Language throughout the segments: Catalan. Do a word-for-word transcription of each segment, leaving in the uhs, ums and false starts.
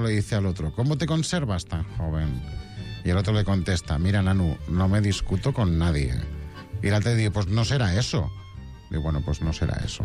le dice al otro, ¿cómo te conservas tan joven? Y el otro le contesta, mira, Nanu, no me discuto con nadie. Y el otro le dice, pues no será eso. Y bueno, pues no será eso.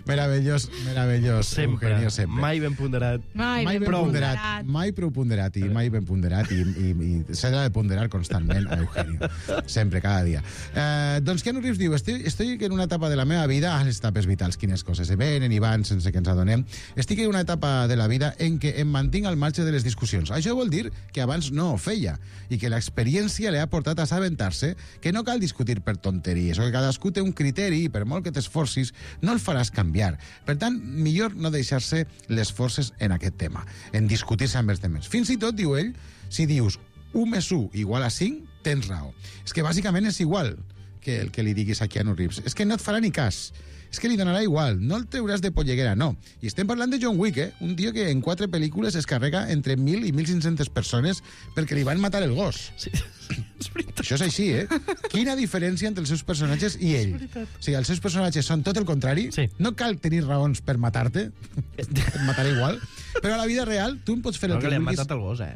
meravellós, meravellós. Sempre. Eugenio, sempre. Mai ben ponderat. Mai, mai ben prou. ponderat, mai prou ponderat i mai ben ponderat i, i, i s'ha de ponderar constantment a Eugenio, sempre, cada dia. Eh, doncs Keanu Reeves diu, estoy, estoy en una etapa de la meva vida, ah, les etapes vitals, quines coses se venen i van sense que ens adonem, estic en una etapa de la vida en què em mantinc al marge de les discussions. Això vol dir que abans no ho feia i que l'experiència li ha portat a assabentar-se que no cal discutir per tonteries o que cadascú té un criteri i per molt que t'esforcis no el faràs canviar. Per tant, millor no deixar-se les forces en aquest tema, en discutir-se amb els temes. Fins i tot, diu ell, si dius u més u igual a cinc, tens raó. És que bàsicament és igual que el que li diguis a Keanu Reeves. És que no et farà ni cas. És que li donarà igual. No el treuràs de polleguera, no. I estem parlant de John Wick, eh? Un tio que en quatre pel·lícules es carrega entre mil i mil cinc-centes persones perquè li van matar el gos. Sí, és veritat. Això és així, eh? Quina diferència entre els seus personatges i ell. O sigui, els seus personatges són tot el contrari. Sí. No cal tenir raons per matar-te. Et matarà igual. Però a la vida real, tu em pots fer No, el que que li han vulguis. matat el gos, eh?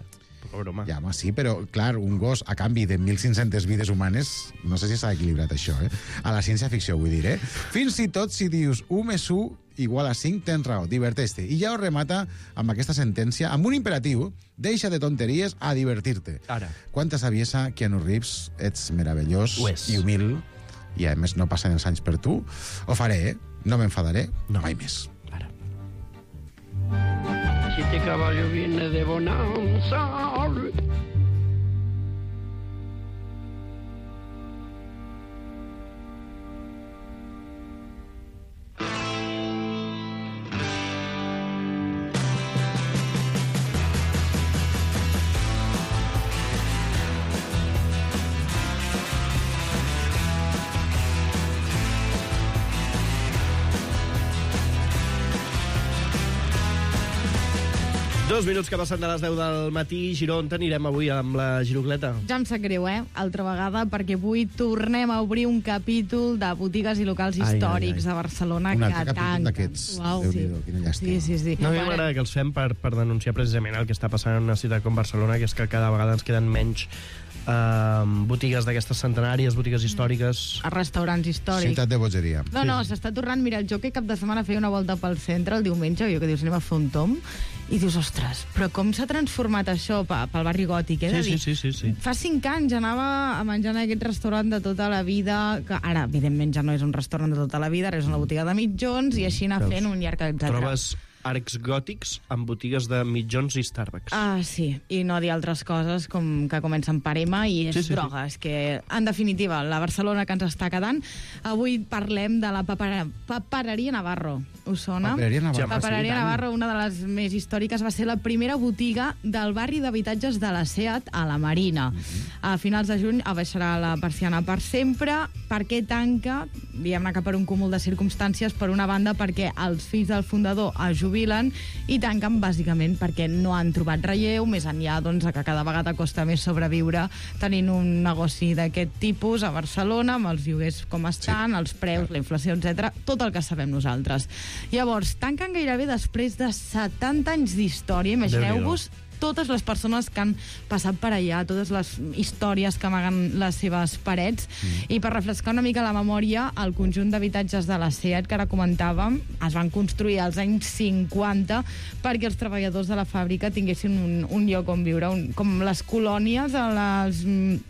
Pobre home. Ja, home, sí, però, clar, un gos a canvi de mil cinc-centes vides humanes, no sé si s'ha equilibrat això, eh? A la ciència-ficció, vull dir, eh? Fins i tot si dius u més u igual a cinc, tens raó, diverteix-te. I ja ho remata amb aquesta sentència, amb un imperatiu, deixa de tonteries a divertir-te. Ara. Quanta saviesa, Keanu Reeves, ets meravellós Ho és. i humil, i a més no passen els anys per tu. Ho faré, eh? No m'enfadaré, No. mai més. Ara. Si este caballo viene de bonanza. Dos minuts que passen de les deu del matí. Giró, on anirem avui amb la girocleta? Ja em sap greu, eh? Altra vegada, perquè avui tornem a obrir un capítol de botigues i locals Ai, històrics ai, ai. de Barcelona Un que altre capítol tanquen. d'aquests. Uau, Déu-n'hi-do, quina llàstima. Sí, sí, sí. No, a mi Para- m'agrada que els fem per, per denunciar precisament el que està passant en una ciutat com Barcelona, que és que cada vegada ens queden menys eh, botigues d'aquestes centenàries, botigues històriques. a restaurants històrics. Ciutat de bogeria. No, no, s'està tornant. Mira, jo que cap de setmana feia una volta pel centre el diumenge, jo que dius, anem a fer un tom, i dius, ostres, però com s'ha transformat això pe- pel barri gòtic, eh? de Sí, dir, sí, sí, sí, sí. Fa cinc anys anava a menjar en aquest restaurant de tota la vida, que ara, evidentment, ja no és un restaurant de tota la vida, ara és una botiga de mitjons, i així anar Veus? fent un llarg etcètera. Trobes arcs gòtics amb botigues de mitjons i Starbucks. Ah, sí, i no dir altres coses com que comencen per M i és Sí, sí, sí. droga. És que, en definitiva, la Barcelona que ens està quedant. Avui parlem de la papera, Papereria Navarro. Us sona? Papereria Navarro. Sí, home, Papereria sí, tant. Navarro, una de les més històriques, va ser la primera botiga del barri d'habitatges de la SEAT a la Marina. A finals de juny abaixarà la persiana per sempre. Per què tanca? Diguem-ne que per un cúmul de circumstàncies. Per una banda, perquè els fills del fundador es jubilen, i tanquen bàsicament perquè no han trobat relleu, més enllà doncs, que cada vegada costa més sobreviure tenint un negoci d'aquest tipus a Barcelona, amb els lloguers com estan, sí, els preus, la inflació, etcètera, tot el que sabem nosaltres. Llavors, tanquen gairebé després de setanta anys d'història. Imagineu-vos totes les persones que han passat per allà, totes les històries que amaguen les seves parets. Mm. I per refrescar una mica la memòria, el conjunt d'habitatges de la SEAT, que ara comentàvem, es van construir als anys cinquanta perquè els treballadors de la fàbrica tinguessin un, un lloc on viure, un, com les colònies a les mm,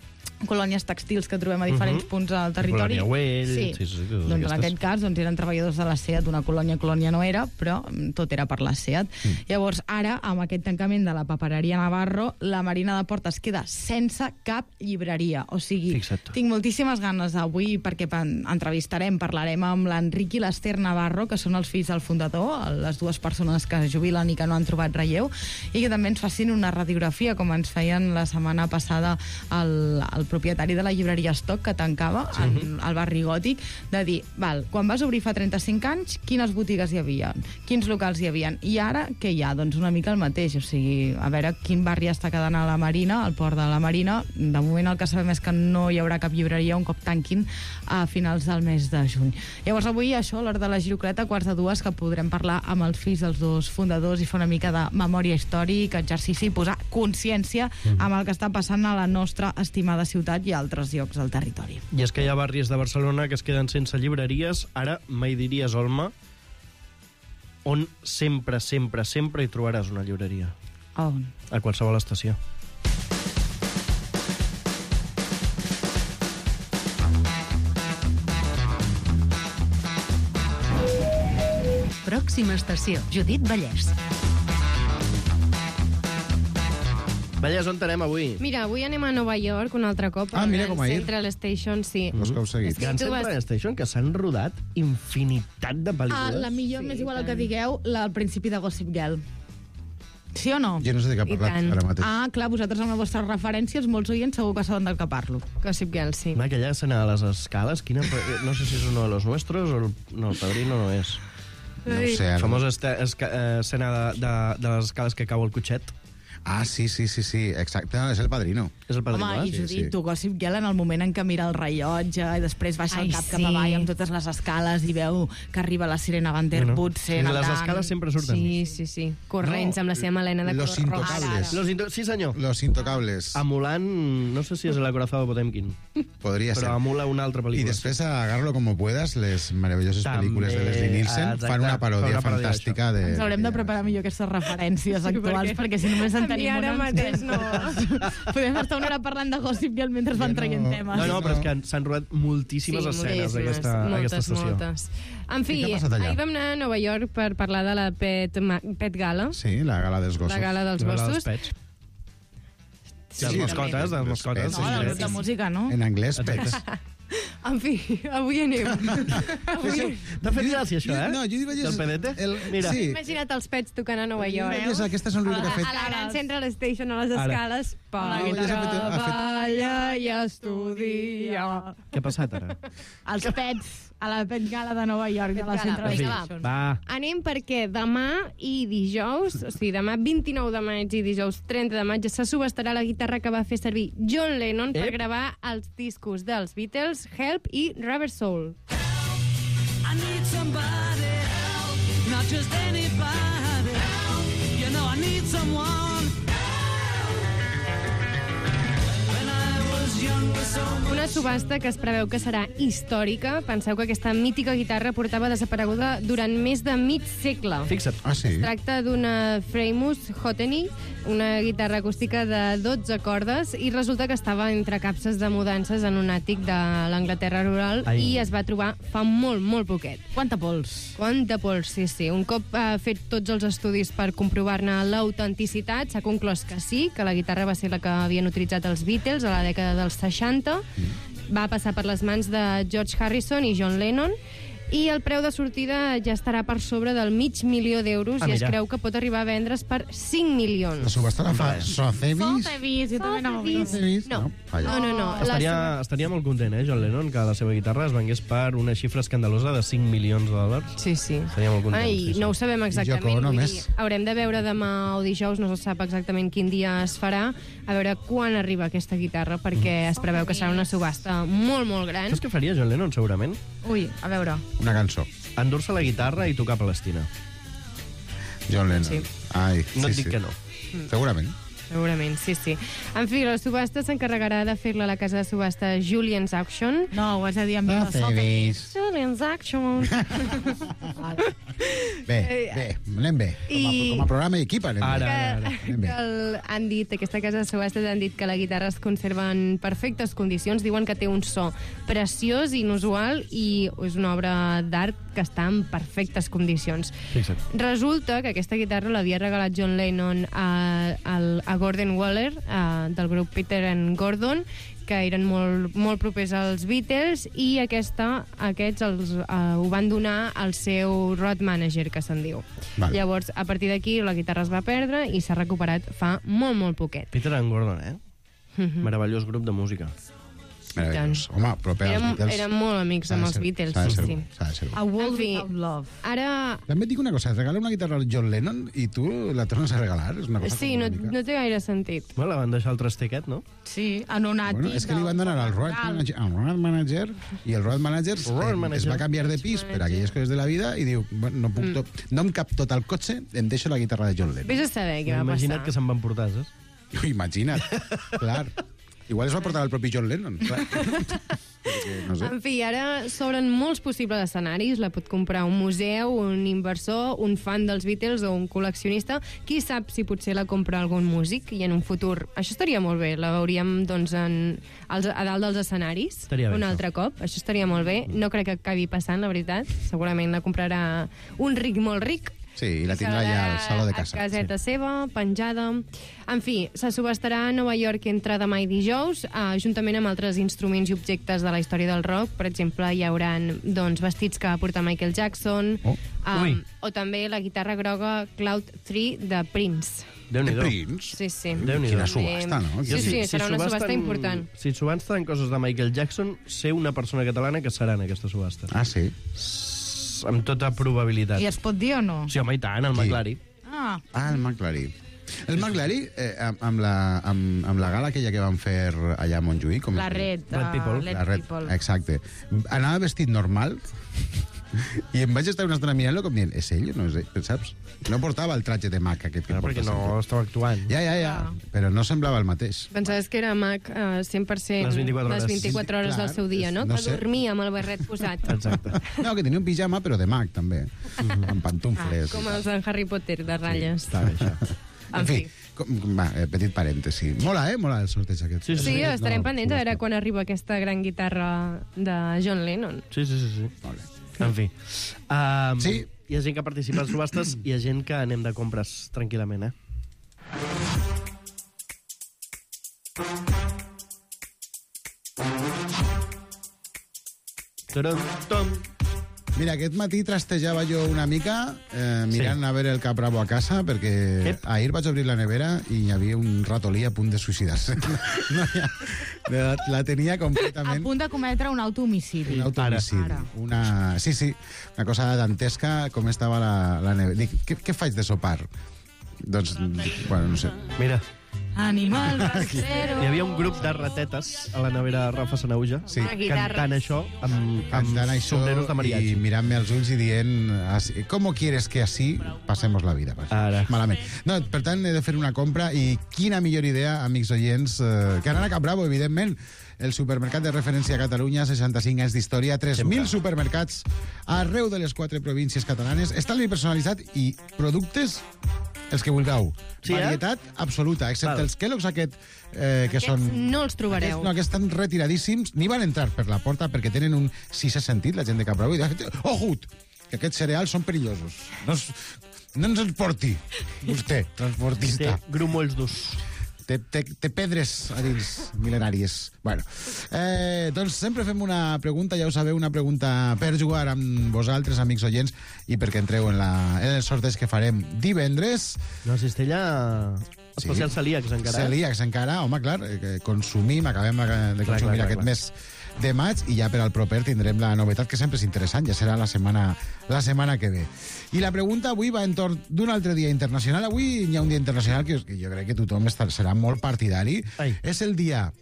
colònies textils que trobem a diferents Uh-huh. punts al territori. Colònia Güell, Sí. sí, sí, sí, totes Doncs en aquestes. aquest cas doncs, eren treballadors de la SEAT, una colònia, colònia no era, però mm, tot era per la SEAT. Mm. Llavors, ara, amb aquest tancament de la Papereria Navarro, la Marina de Port es queda sense cap llibreria. O sigui, Fixa't. tinc moltíssimes ganes d'avui, perquè pan- entrevistarem, parlarem amb l'Enric i l'Ester Navarro, que són els fills del fundador, les dues persones que es jubilen i que no han trobat relleu, i que també ens facin una radiografia, com ens feien la setmana passada el, el propietari de la llibreria Stock, que tancava sí. en, al barri Gòtic, de dir, val, quan vas obrir fa trenta-cinc anys, quines botigues hi havia? Quins locals hi havia? I ara, què hi ha? Doncs una mica el mateix, o sigui, a veure quin barri està quedant a la Marina, al port de la Marina. De moment el que sabem és que no hi haurà cap llibreria un cop tanquin a finals del mes de juny. Llavors avui això, a l'hora de la Girocleta, quarts de dues, que podrem parlar amb els fills dels dos fundadors i fer una mica de memòria històrica, exercici i posar consciència amb el que està passant a la nostra estimada ciutat i a altres llocs del territori. I és que hi ha barris de Barcelona que es queden sense llibreries. Ara mai diries, Olma, on sempre, sempre, sempre hi trobaràs una llibreria. On? A qualsevol estació. Pròxima estació, Judit Vallès. Vallès, on anem avui? Mira, avui anem a Nova York un altre cop. Ah, mira com ahir. Central Station, sí. Vols que heu seguit? Sí, Gran tu Central vas- Station, que s'han rodat infinitat de Ah, pel·lícules. la millor, Sí, m'és igual el i que tant. digueu, la, al principi de Gossip Girl. Sí o no? Jo no sé de què ha I parlat tant. ara mateix. Ah, clar, vosaltres amb les vostres referències, molts oients segur que saben del que parlo. Gossip Girl, sí. Home, aquella escena de les escales, quina... no sé si és uno de los nuestros o el... No, el padrino no és. No ho sé, La ara. famosa este- esca- eh, escena de, de, de les escales que cau el cotxet. Ah, sí, sí, sí, sí, exacte, és el padrino. És el padrino, Home, i eh? sí, Judit, sí. tu Gossip Girl en el moment en què mira el rellotge i després baixa Ai, el cap sí. cap avall amb totes les escales i veu que arriba la sirena Van der No, no. Woodsen. I les nedant. escales sempre surten. Sí, sí, sí. Corrents No, amb la seva melena de Los color rosa. Intocables. Los into... Sí, senyor. Los Intocables. Emulant, no sé si és el acorazado Potemkin, Podria ser. però emula una altra I pel·lícula. després a Agarlo como puedas, les meravelloses També, pel·lícules de Leslie Nielsen exacte, fan una paròdia fan una paròdia fantàstica de... Ens haurem de preparar millor aquestes referències Sí, actuals, perquè perquè si només en a mi tenim ara una... mateix no. Podem estar una hora parlant de Gossip Girl mentre van Jo no- traient temes. No, no, però és que s'han rodat moltíssimes escenes a aquesta, a moltes, aquesta estació. moltes. En fi, I què ha passat allà? ahir vam anar a Nova York per parlar de la Pet, Ma- Pet Gala, Sí, la gala dels gossos. la gala dels La dels gossos. pets. Sí, dels sí, mascotes, també. dels mascotes. Pets, No, en del anglès. grup de música, no? En anglès, pets. En fi, avui anem. avui... T'ha fet gràcia, això, eh? No, jo dic, Del pedete? El, Mira. Sí. Imagina't els pets tocant a Nova York. Veus? Aquesta sonriure que ha A fet. la Gran Central Station, a les Ara. escales. la Pau guitarra. Ha fet- ha fet- treballa i estudia. Què ha passat, ara? Els pets a la Pet Gala de Nova York, de la Pet Gala, Central vinga, va. Station. Va. Anem perquè demà i dijous, o sigui, demà vint-i-nou de maig i dijous trenta de maig, se subestarà la guitarra que va fer servir John Lennon per Ep. gravar els discos dels Beatles, Help i Rubber Soul. I need somebody help, not just anybody help. You know I need someone. When I was younger, so much. Una subhasta que es preveu que serà històrica. Penseu que aquesta mítica guitarra portava desapareguda durant més de mig segle. Fixa't. Ah, sí? Es tracta d'una Framus Hoteny, una guitarra acústica de dotze cordes, i resulta que estava entre capses de mudances en un àtic de l'Anglaterra rural Ai. i es va trobar fa molt, molt poquet. Quanta pols? Quanta pols, sí, sí. Un cop ha fet tots els estudis per comprovar-ne l'autenticitat, s'ha conclòs que sí, que la guitarra va ser la que havien utilitzat els Beatles a la dècada dels seixanta. Va passar per les mans de George Harrison i John Lennon, i el preu de sortida ja estarà per sobre del mig milió d'euros Ah, i es mira. creu que pot arribar a vendre's per cinc La milions. subhasta la fa Sotheby's? Sotheby's, jo també anava a dir. Sotheby's? No. Falla. No, no, no. La Estaria, estaria molt content, eh, John Lennon, que la seva guitarra es vengués per una xifra escandalosa de cinc milions de dòlars. Sí, sí. Estaria molt content. Ai, sí, sí. no ho sabem exactament. Yoko Ono vull més. dir, haurem de veure demà o dijous, no se sap exactament quin dia es farà, a veure quan arriba aquesta guitarra, perquè es preveu que serà una subhasta molt, molt gran. Saps què faria John Lennon, segurament? Ui, a veure. Una cançó. Endur-se la guitarra i tocar Palestina. John Lennon. Sí. Ai, No sí, et dic sí. que no. Segurament. Segurament, sí, sí. En fi, la subhasta s'encarregarà de fer-la a la casa de subhasta Julian's Auction. No, ho has de dir amb veu de Sotheby's. Julian's Auction. Bé, bé, anem bé. Com a, I- com a programa i equip anem Ara, bé. ara, ara. que el, han dit, aquesta casa de subhastes han dit que la guitarra es conserva en perfectes condicions, diuen que té un so preciós, inusual, i és una obra d'art que està en perfectes condicions. Fixa't. Resulta que aquesta guitarra l'havia regalat John Lennon a, a, a Gordon Waller, a, del grup Peter and Gordon, que eren molt, molt propers als Beatles, i aquesta, aquests els, uh, ho van donar al seu road manager, que se'n diu. Vale. Llavors, a partir d'aquí, la guitarra es va perdre i s'ha recuperat fa molt, molt poquet. Peter and Gordon, eh? Meravellós grup de música. Meravellós. Home, proper als Érem, Beatles. érem molt amics S'ha de amb els ser- Beatles, s'ha de sí, ser- sí. s'ha de ser. A World En fi. Without Love. Ara... També et dic una cosa, et regala una guitarra al John Lennon i tu la tornes a regalar. És una cosa Sí, no, com una mica- no té gaire sentit. Bueno, la van deixar el trastiquet, no? Sí, en un àtic. Bueno, és que li van donar al road manager, al road manager i el road manager, Road eh, manager. es va canviar de pis per aquelles coses de la vida i diu, bueno, no, puc Mm. tot, no em cap tot al cotxe, em deixo la guitarra de John Lennon. Vés a saber què va Imagina't que passar. se'n van portar, saps? Imagina't, clar. Igual es va portar el propi John Lennon, clar. Perquè, no sé. En fi, ara s'obren molts possibles escenaris. La pot comprar un museu, un inversor, un fan dels Beatles o un col·leccionista. Qui sap si potser la compra algun músic i en un futur... Això estaria molt bé. La veuríem doncs, en, als, a dalt dels escenaris Estaria bé, un això. altre cop. Això estaria molt bé. No crec que acabi passant, la veritat. Segurament la comprarà un ric molt ric. Sí, i la tindrà ja al saló de casa. A caseta sí. seva, penjada... En fi, se subestarà a Nova York entre demà i dijous, eh, juntament amb altres instruments i objectes de la història del rock. Per exemple, hi haurà doncs, vestits que va portar Michael Jackson, Oh. Ui. um, o també la guitarra groga Cloud tres de Prince. De Déu-n'hi-do. Prince? Sí, sí. Déu-n'hi-do. Quina subhasta, no? Sí, sí, serà una subhasta subasten- important. Si subasten coses de Michael Jackson, sé una persona catalana que serà en aquesta subhasta. Ah, sí? Amb tota probabilitat. I es pot dir o no? Sí, home, i tant, el Qui? McLaren. Ah, Ah, el McLaren. El McLaren, eh, amb, amb, la, amb, amb la gala aquella que van fer allà a Montjuïc... Com la es diu? Red. Red uh, People. Let La Red, People. exacte. Anava vestit normal i em vaig estar una estona mirant-lo com dient, és ell o no és ell, saps? No portava el traje de Mac aquest que No, perquè porta no sempre. estava actuant. Ja, ja, ja, però no semblava el mateix. Pensaves que era Mac eh, cent per cent Les vint-i-quatre hores. les vint-i-quatre hores Clar, del seu dia, no? no que sé. dormia amb el barret posat. Exacte. No, que tenia un pijama, però de Mac, també. Amb pantufles. Com els en Harry Potter, de ratlles. Està bé, això. En fi, com, va, eh, petit parèntesi. Mola, eh? Mola el sorteig aquest. Sí, Sí, estarem No, pendents a veure subhasta. quan arriba aquesta gran guitarra de John Lennon. Sí, sí, sí. sí. Molt bé. En fi. Um, Sí. Hi ha gent que participa en subhastes i hi ha gent que anem de compres tranquil·lament, eh? Taran, tom. Mira, aquest matí trastejava jo una mica eh, mirant Sí. a veure el cap rabo a casa perquè Ep. ahir vaig obrir la nevera i hi havia un ratolí a punt de suïcidar-se. No, ja, la, la tenia A completament... punt de cometre un autohomicidi. Un autohomicidi. Ara. Una... Sí, sí, una cosa dantesca com estava la, la nevera. Dic, què, què faig de sopar? Doncs, bueno, no sé. Mira, Animal rastrero. hi havia un grup de ratetes a la nevera Rafa Sanauja Sí. Una guitarra. cantant això amb, amb Cantant això sombreros de i mariachi. mirant-me als ulls i dient así, ¿cómo quieres que así pasemos la vida? Pues, Ara. malament. No, per tant, he de fer una compra i quina millor idea, amics oients, eh, que anar a Caprabo, evidentment. El supermercat de referència a Catalunya, seixanta-cinc anys d'història, tres mil supermercats arreu de les quatre províncies catalanes, estalvi personalitzat i productes els que vulgueu. Sí, eh? Varietat absoluta, excepte Val. els Kellogg's aquest, eh, que Aquests són... no els trobareu. Aquests, no, aquests estan retiradíssims, ni van entrar per la porta perquè tenen un sisè sentit, la gent de Caprabo, i diuen, ojut, que aquests cereals són perillosos. No, es, no ens els porti, vostè, Té transportista. grumolls durs. Té, té, té pedres a dins, mil·lenàries. Bueno, eh, doncs sempre fem una pregunta, ja ho sabeu, una pregunta per jugar amb vosaltres, amics oients, i perquè entreu en, la, en el sorteig que farem divendres. No, cistella especial Sí. celíacs encara. eh? Celíacs encara, home, clar, eh, consumim, acabem de Clar, consumir clar, aquest clar. mes de maig i ja per al proper tindrem la novetat que sempre és interessant, ja serà la setmana, la setmana que ve. I la pregunta avui va entorn d'un altre dia internacional. Avui hi ha un dia internacional que, que jo crec que tothom està, serà molt partidari. Ai. És el dia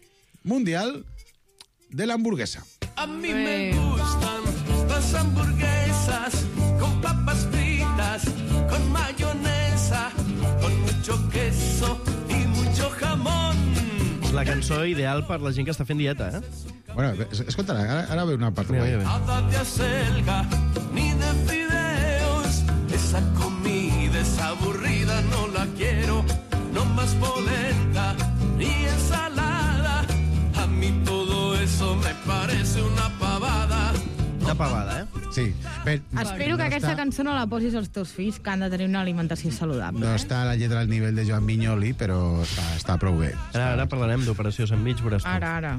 mundial de l'hamburguesa. A mí Bueno. me gustan las hamburguesas con papas fritas, con mayonesa, con mucho queso y mucho jamón. La cançó ideal per la gent que està fent dieta, eh? Bueno, es- escolta, ara, ara ve una part Mira, guai. mira, mira. Nada de acelga ni de fideos. Esa comida es aburrida, no la quiero. No más polenta ni ensalada. A mí todo eso me parece una pavada. Una pavada, eh? Sí. Bé, Espero que aquesta cançó no la posis als teus fills, que han de tenir una alimentació saludable. No està a la lletra al nivell de Joan Vinyoli, però està, està prou bé. Ara, ara parlarem d'Operació Sandwich, veuràs tu. Ara, ara.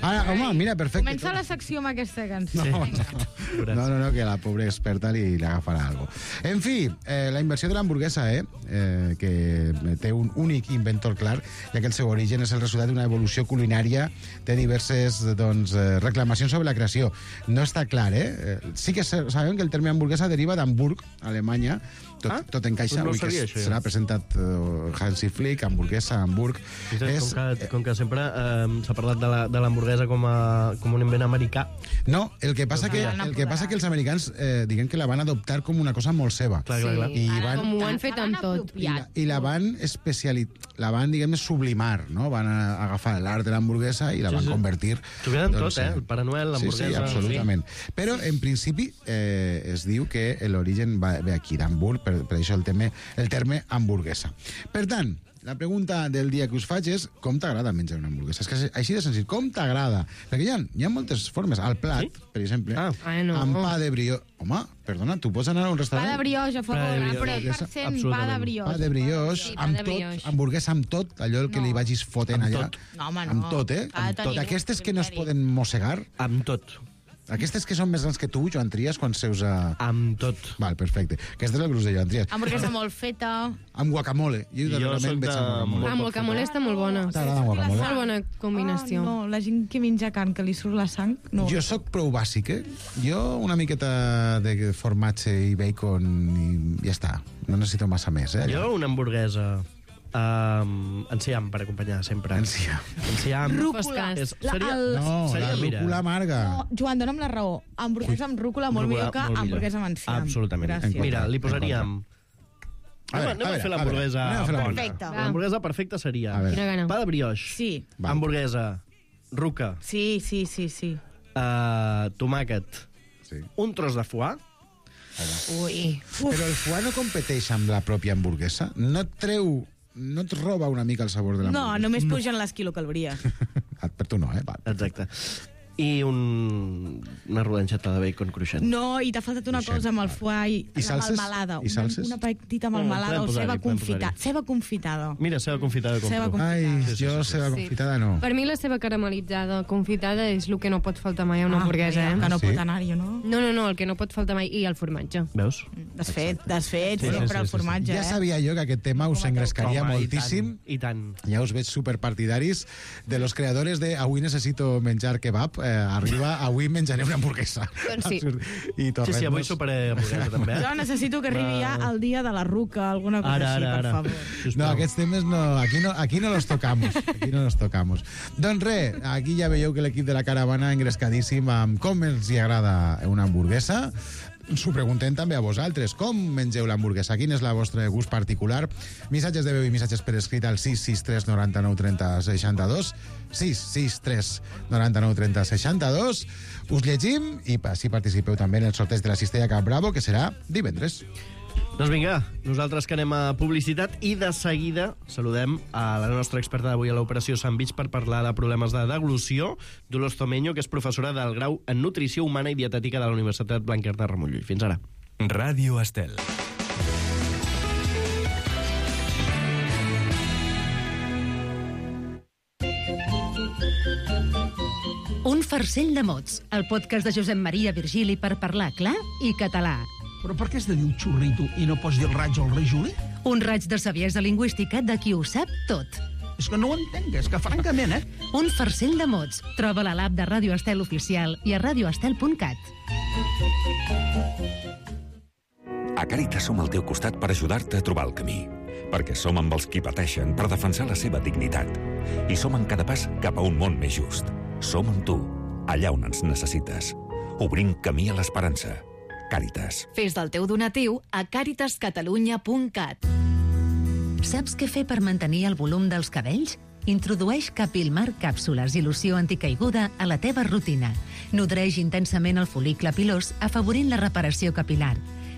Ara, home, mira, perfecte. Comença la secció amb aquesta cançó. No, no, no, no, que la pobra experta li, li agafarà alguna cosa. En fi, eh, la inversió de l'hamburguesa, eh, eh, que té un únic inventor clar, ja que el seu origen és el resultat d'una evolució culinària, té diverses doncs, eh, reclamacions sobre la creació. No està clar, eh? Sí que sabem que el terme hamburguesa deriva d'Hamburg, Alemanya. Tot, Ah, tot encaixa. no ho Avui que sabia, es- això, ja. serà presentat uh, Hansi Flick, hamburguesa, Hamburg. És... Com, que, com que sempre eh, s'ha parlat de la- de l'hamburguesa com, a, com un invent americà. No, el que passa que, Ah, el que passa que els americans eh, diguem que la van adoptar com una cosa molt seva. Clar, clar, clar. I Ara, van- com ho han fet amb tot. I la, i la van especialitzar, la van, diguem, sublimar, no? Van a, agafar l'art de l'hamburguesa i la Sí, van sí. convertir... T'ho queden tot, eh? en- El Pare Noel, l'hamburguesa... Sí, sí, absolutament. Però, en principi, eh, es diu que l'origen va ve aquí, d'Hamburg, per, per això el terme, el terme hamburguesa. Per tant, la pregunta del dia que us faig és com t'agrada menjar una hamburguesa? És que és així de senzill. Com t'agrada? Perquè hi ha, hi ha moltes formes. Al plat, Sí? per exemple, Ah. Ai, no. amb pa de brioche... Home, perdona, tu pots anar a un Pa restaurant... de brioche, a Pa de favor, brioche. cent per cent pa de Absolutament. brioche. Pa de brioche, Sí, pa amb de tot, brioche. hamburguesa amb tot, allò el que No. li vagis fotent Amb allà. tot. No, home, no. Amb tot, eh? Ha de Amb tot. tenir Aquestes un que no es criteri. poden mossegar, Amb tot. aquestes que són més grans que tu, Joan Trias, quan seus a... Amb tot. Val, perfecte. Aquest és el gruix de Joan Trias. Hamburguesa molt feta. Amb guacamole. Jo, Jo darrerament soc veig de amb guacamole. Amb guacamole està molt bona. T'agrada amb guacamole? Molt bona combinació. Oh, no, la gent que menja carn, que li surt la sang, no. Jo sóc prou bàsic, eh? Jo una miqueta de formatge i bacon i ja està. No necessito massa més, eh? Jo una hamburguesa um, enciam per acompanyar sempre. Enciam. Enciam. Rúcula. És, La- seria, el- No, seria, la mira, rúcula amarga. No, Joan, dona'm la raó. Hamburguesa amb rúcula molt Rúcula, millor que molt millor. hamburguesa amb enciam. Absolutament. Gràcies. En Mira, li En posaríem... A veure, Anem a a, veure, fer a l'hamburguesa veure, anem a fer la- bona. Perfecte. L'hamburguesa perfecta seria A veure. Quina gana. pa de brioche, Sí, Val. hamburguesa, ruca, sí, sí, sí, sí. uh, tomàquet, Sí. un tros de foie, Ui. Però el foie no competeix amb la pròpia hamburguesa? No et treu... No et roba una mica el sabor de No, l'hamburguesa? només pugen les quilocalories. Ah, per tu no, eh? Va. exacte. I un, una rodanxeta de bacon cruixent. No, i t'ha faltat una Cruixent, cosa amb el val. foie i, I la salses? melmelada. I salses? Una, una petita No, melmelada podem o posar-hi, ceba podem confitada. posar-hi. Ceba confitada. Mira, seva confitada Ceba compro. confitada. Ai, Sí, sí, jo sí, sé la sí. confitada no. Per mi la seva caramelitzada confitada és el que no pot faltar mai a una hamburguesa, Ah, eh? que no Sí? pot anar-hi, no? No, no, no, el que no pot faltar mai. I el formatge. Veus? Desfet, desfet, Sí, sempre sí, sí, el sí, formatge, Ja eh? sabia jo que aquest tema us engrescaria Home, moltíssim. I tant. I tant. Ja us veig superpartidaris de los creadores de Avui necessito menjar kebab. Eh, arriba, avui menjaré una hamburguesa. Doncs sí. Absurd. I Sí, tornem sí, avui soparé hamburguesa, també. Jo necessito que arribi ja el dia de la ruca, alguna cosa Ara, així, ara, per ara. favor. No, Sisplau. aquests temes no, aquí no, aquí no los tocamos. Aquí no los tocamos. Doncs res, aquí ja veieu que l'equip de la caravana engrescadíssim amb com els hi agrada una hamburguesa. S'ho preguntem també a vosaltres. Com mengeu l'hamburguesa? Quin és el vostre gust particular? Missatges de veu i missatges per escrit al sis sis tres noranta-nou trenta seixanta-dos. sis sis tres noranta-nou trenta seixanta-dos. Us llegim i així participeu també en el sorteig de la cistella Cap Bravo, que serà divendres. Doncs vinga, nosaltres que anem a publicitat i de seguida saludem a la nostra experta d'avui a l'Operació Sandwich per parlar de problemes de deglució, Dolors Tomeño, que és professora del grau en Nutrició Humana i Dietètica de la Universitat Blanquerna de Ramon Llull. Fins ara. Ràdio Estel. Un farcell de mots, el podcast de Josep Maria Virgili per parlar clar i català. Però per què has de dir un xurrito i no pots dir el raig al rei Juli? Un raig de saviesa lingüística de qui ho sap tot. És que no ho entenc, és que francament, eh? Un farcell de mots. Troba-la a l'app de Ràdio Estel Oficial i a radioestel punt cat. A Càritas som al teu costat per ajudar-te a trobar el camí. Perquè som amb els qui pateixen per defensar la seva dignitat. I som en cada pas cap a un món més just. Som amb tu, allà on ens necessites. Obrim camí a l'esperança. Càritas. Fes del teu donatiu a càritas catalunya punt cat. Saps què fer per mantenir el volum dels cabells? Introdueix Capilmar càpsules i loció anticaiguda a la teva rutina. Nodreix intensament el fol·licle pilós, afavorint la reparació capilar.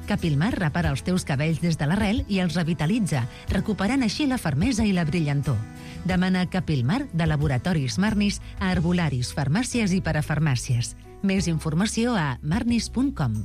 Capilmar repara els teus cabells des de l'arrel i els revitalitza, recuperant així la fermesa i la brillantor. Demana Capilmar de Laboratoris Marnis a herbolaris, farmàcies i parafarmàcies. Més informació a marnis punt com.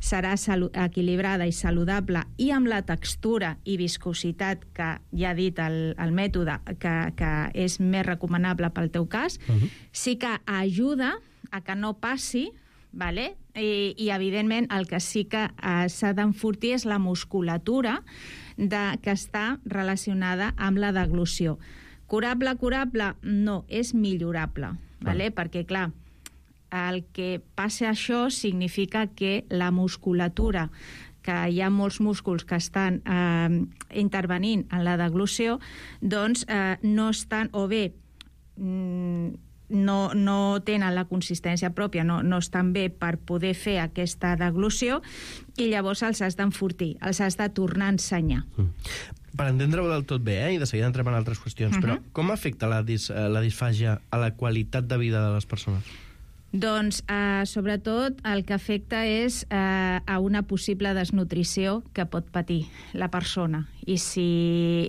serà equilibrada i saludable i amb la textura i viscositat que ja ha dit el, el mètode que, que és més recomanable pel teu cas, uh-huh. sí que ajuda a que no passi, vale? I, i evidentment el que sí que eh, s'ha d'enfortir és la musculatura de, que està relacionada amb la deglució. Curable, curable? No, és millorable, vale? Perquè clar, el que passa això significa que la musculatura, que hi ha molts músculs que estan eh, intervenint en la deglució, doncs eh, no estan, o bé mm, no, no tenen la consistència pròpia, no, no estan bé per poder fer aquesta deglució, i llavors els has d'enfortir, els has de tornar a ensenyar. Mm. Per entendre-ho del tot bé, eh, i de seguida entrem en altres qüestions, uh-huh. però com afecta la, dis, la disfàgia a la qualitat de vida de les persones? Doncs, eh, sobretot, el que afecta és eh, a una possible desnutrició que pot patir la persona. I si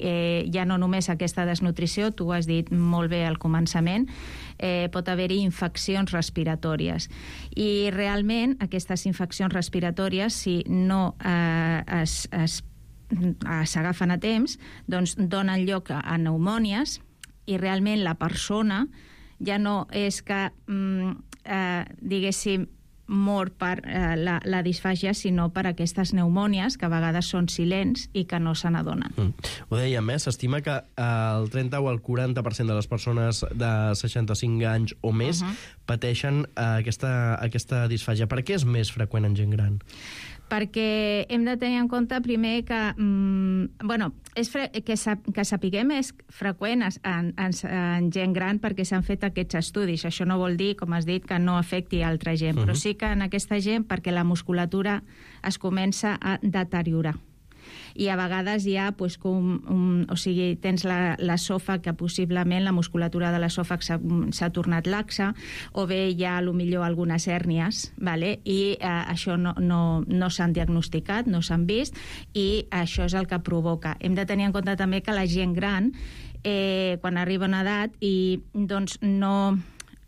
eh, ja no només aquesta desnutrició, tu ho has dit molt bé al començament, eh, pot haver-hi infeccions respiratòries. I realment aquestes infeccions respiratòries, si no eh, es, es s'agafen a temps, doncs donen lloc a pneumònies, i realment la persona ja no és que, mm, eh, diguéssim, mor per eh, la, la disfàgia, sinó per aquestes pneumònies, que a vegades són silents i que no se n'adonen. Mm. Ho dèiem, eh? S'estima que eh, el trenta o el quaranta per cent de les persones de seixanta-cinc anys o més uh-huh. pateixen eh, aquesta, aquesta disfàgia. Per què és més freqüent en gent gran? Perquè hem de tenir en compte primer que, mm, bueno, és fre que, sap que sapiguem és freqüent en, en, en gent gran perquè s'han fet aquests estudis. Això no vol dir, com has dit, que no afecti a altra gent, uh-huh. però sí que en aquesta gent perquè la musculatura es comença a deteriorar. I a vegades hi ha, pues, com, um, o sigui, tens l'esòfag, que possiblement la musculatura de l'esòfag s'ha tornat laxa, o bé hi ha, potser, algunes hèrnies, vale? I eh, això no, no, no s'han diagnosticat, no s'han vist, i això és el que provoca. Hem de tenir en compte també que la gent gran, eh, quan arriba a una edat, i doncs no,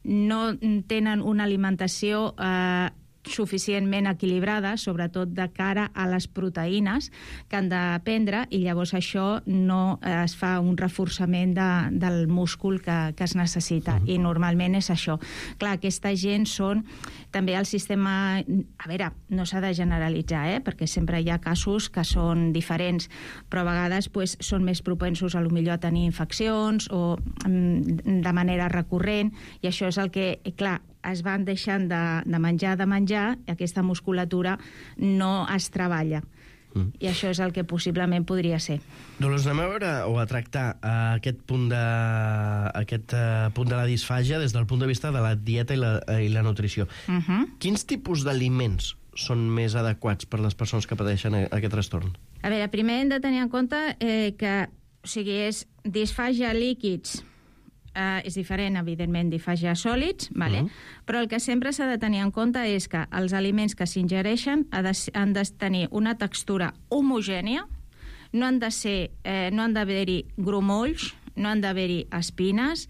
no tenen una alimentació eh, suficientment equilibrada, sobretot de cara a les proteïnes que han de prendre, i llavors això no es fa un reforçament de, del múscul que, que es necessita, uh-huh. i normalment és això. Clar, aquesta gent són també el sistema... A veure, no s'ha de generalitzar, eh? Perquè sempre hi ha casos que són diferents, però a vegades pues, són més propensos a, potser, a tenir infeccions o de manera recurrent, i això és el que, clar, es van deixant de, de menjar, de menjar, i aquesta musculatura no es treballa. Mm. I això és el que possiblement podria ser. Dolors, anem a veure o a tractar uh, aquest, punt de, aquest uh, punt de la disfàgia des del punt de vista de la dieta i la, i la nutrició. Uh-huh. Quins tipus d'aliments són més adequats per les persones que pateixen aquest trastorn? A veure, primer hem de tenir en compte eh, que, o sigui, és disfàgia líquids, Uh, és diferent, evidentment, disfàgia sòlids, vale? Uh-huh. Però el que sempre s'ha de tenir en compte és que els aliments que s'ingereixen han de tenir una textura homogènia, no han de ser, eh, no han d'haver-hi grumolls, no han d'haver-hi espines,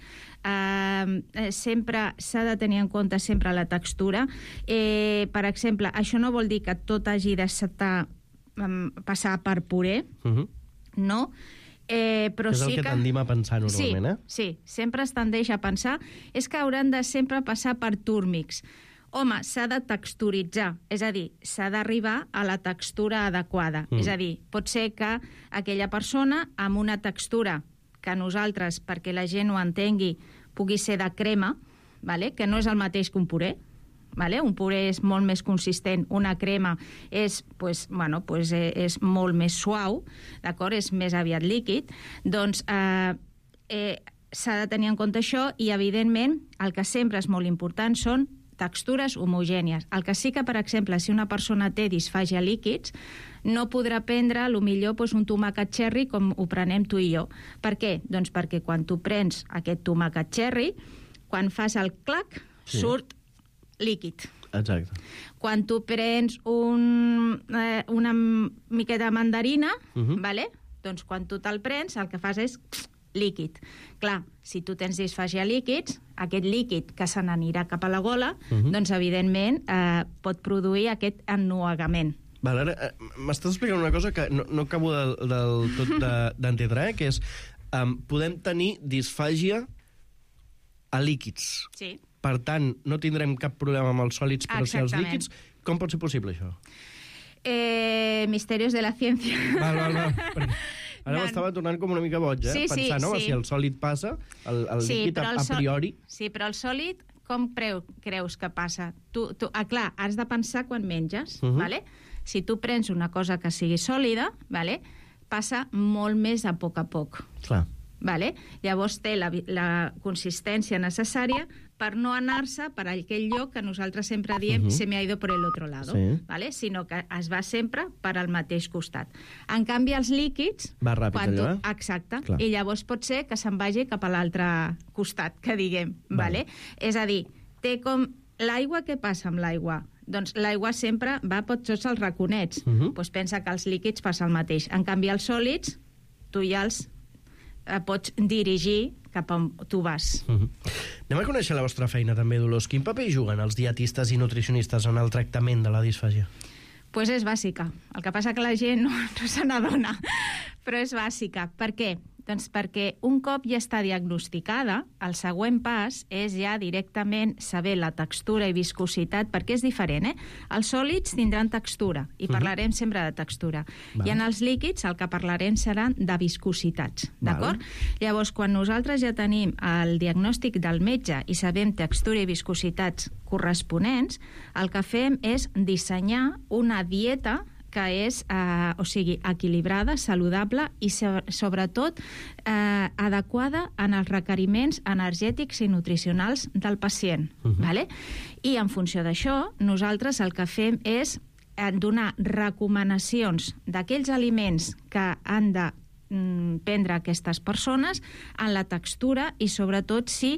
eh, sempre s'ha de tenir en compte sempre la textura. Eh, per exemple, això no vol dir que tot hagi de estar, um, passar per puré, uh-huh. no? Eh, però és el sí que, que tendim a pensar normalment, sí, eh? Sí, sempre es tendeix a pensar és que hauran de sempre passar per túrmics. Home, s'ha de texturitzar, és a dir, s'ha d'arribar a la textura adequada. Mm. És a dir, pot ser que aquella persona amb una textura que nosaltres, perquè la gent ho entengui, pugui ser de crema, vale? Que no és el mateix que un puré. Vale? Un puré és molt més consistent, una crema és, pues, bueno, pues, eh, és molt més suau, d'acord? És més aviat líquid. Doncs eh, eh, s'ha de tenir en compte això, i evidentment el que sempre és molt important són textures homogènies. El que sí que, per exemple, si una persona té disfàgia líquids, no podrà prendre, potser, pues, un tomàquet cherry com ho prenem tu i jo. Per què? Doncs perquè quan tu prens aquest tomàquet cherry, quan fas el clac, sí. surt líquid. Exacte. Quan tu prens un, eh, una miqueta de mandarina, uh-huh. vale? Doncs quan tu te'l prens, el que fas és líquid. Clar, si tu tens disfàgia líquids, aquest líquid que se n'anirà cap a la gola, uh-huh. doncs, evidentment, eh, pot produir aquest ennuegament. Val, ara, eh, m'estàs explicant una cosa que no, no acabo del, del tot d'entendre, eh, que és, um, podem tenir disfàgia a líquids. Sí. Per tant, no tindrem cap problema amb els sòlids, però si els líquids... Com pot ser possible, això? Eh, misterios de la ciència. Val, val, val. Perquè ara no. M'estava tornant com una mica boig, eh? Sí, sí, pensar, no? sí. Si el sòlid passa, el, el sí, líquid a, a priori... Sí, però el sòlid, com preu, creus que passa? Tu, tu, ah, clar, has de pensar quan menges, uh-huh. vale? Si tu prens una cosa que sigui sòlida, vale? Passa molt més a poc a poc. Clar. Vale? Llavors té la, la consistència necessària per no anar-se per aquell lloc que nosaltres sempre diem uh-huh. se me ha ido por el otro lado, sí. vale? Sinó que es va sempre per al mateix costat. En canvi, els líquids... Va ràpid, allò, eh? Exacte. Clar. I llavors pot ser que se'n vagi cap a l'altre costat, que diguem. Vale? És a dir, té com... L'aigua, què passa amb l'aigua? Doncs l'aigua sempre va per tots els raconets. Uh-huh. Pues pensa que els líquids passa el mateix. En canvi, els sòlids, tu ja els eh, pots dirigir cap on tu vas. Uh-huh. Anem a conèixer la vostra feina també, Dolors. Quin paper juguen els dietistes i nutricionistes en el tractament de la disfàgia? Pues és bàsica. El que passa que la gent no, no se n'adona, però és bàsica. Per què? Doncs perquè un cop ja està diagnosticada, el següent pas és ja directament saber la textura i viscositat, perquè és diferent, eh? Els sòlids tindran textura, i parlarem uh-huh. sempre de textura. Val. I en els líquids el que parlarem seran de viscositats, d'acord? Llavors, quan nosaltres ja tenim el diagnòstic del metge i sabem textura i viscositats corresponents, el que fem és dissenyar una dieta que és, eh, o sigui, equilibrada, saludable i, so- sobretot, eh, adequada en els requeriments energètics i nutricionals del pacient. Uh-huh. Vale? I en funció d'això, nosaltres el que fem és eh, donar recomanacions d'aquells aliments que han de mm, prendre aquestes persones en la textura i, sobretot, si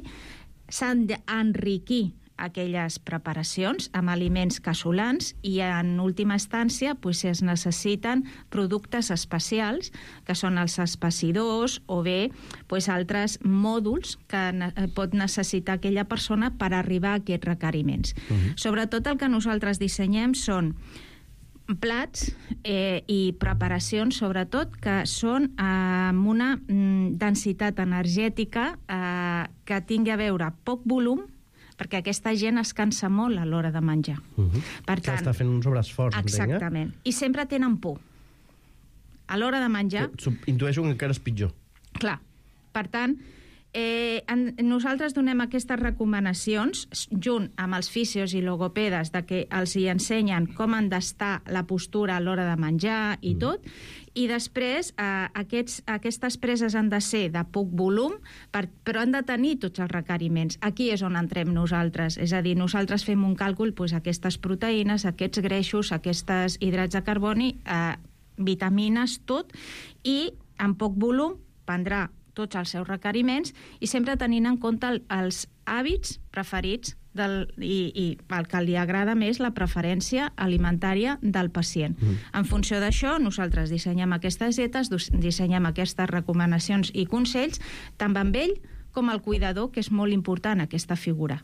s'han d'enriquir aquelles preparacions amb aliments casolans i, en última instància, pues, es necessiten productes especials, que són els espessidors o bé pues, altres mòduls que ne- pot necessitar aquella persona per arribar a aquests requeriments. Uh-huh. Sobretot el que nosaltres dissenyem són plats eh, i preparacions, sobretot, que són eh, amb una mm, densitat energètica eh, que tingui a veure poc volum, perquè aquesta gent es cansa molt a l'hora de menjar. Uh-huh. Per que tant, està fent un sobreesforç, exactament. I sempre tenen por. A l'hora de menjar... Que intueixo que encara és pitjor. Clar. Per tant, eh, en, nosaltres donem aquestes recomanacions junt amb els fisios i logopedes de que els hi ensenyen com han d'estar la postura a l'hora de menjar i mm. tot, i després eh, aquests, aquestes preses han de ser de poc volum, per, però han de tenir tots els requeriments. Aquí és on entrem nosaltres, és a dir, nosaltres fem un càlcul, doncs, aquestes proteïnes, aquests greixos, aquests hidrats de carboni, eh, vitamines, tot, i en poc volum prendrà tots els seus requeriments i sempre tenint en compte el, els hàbits preferits del, i, i el que li agrada més, la preferència alimentària del pacient. Mm. En funció d'això, nosaltres dissenyem aquestes dietes, dissenyem aquestes recomanacions i consells, tant amb ell com el cuidador, que és molt important aquesta figura.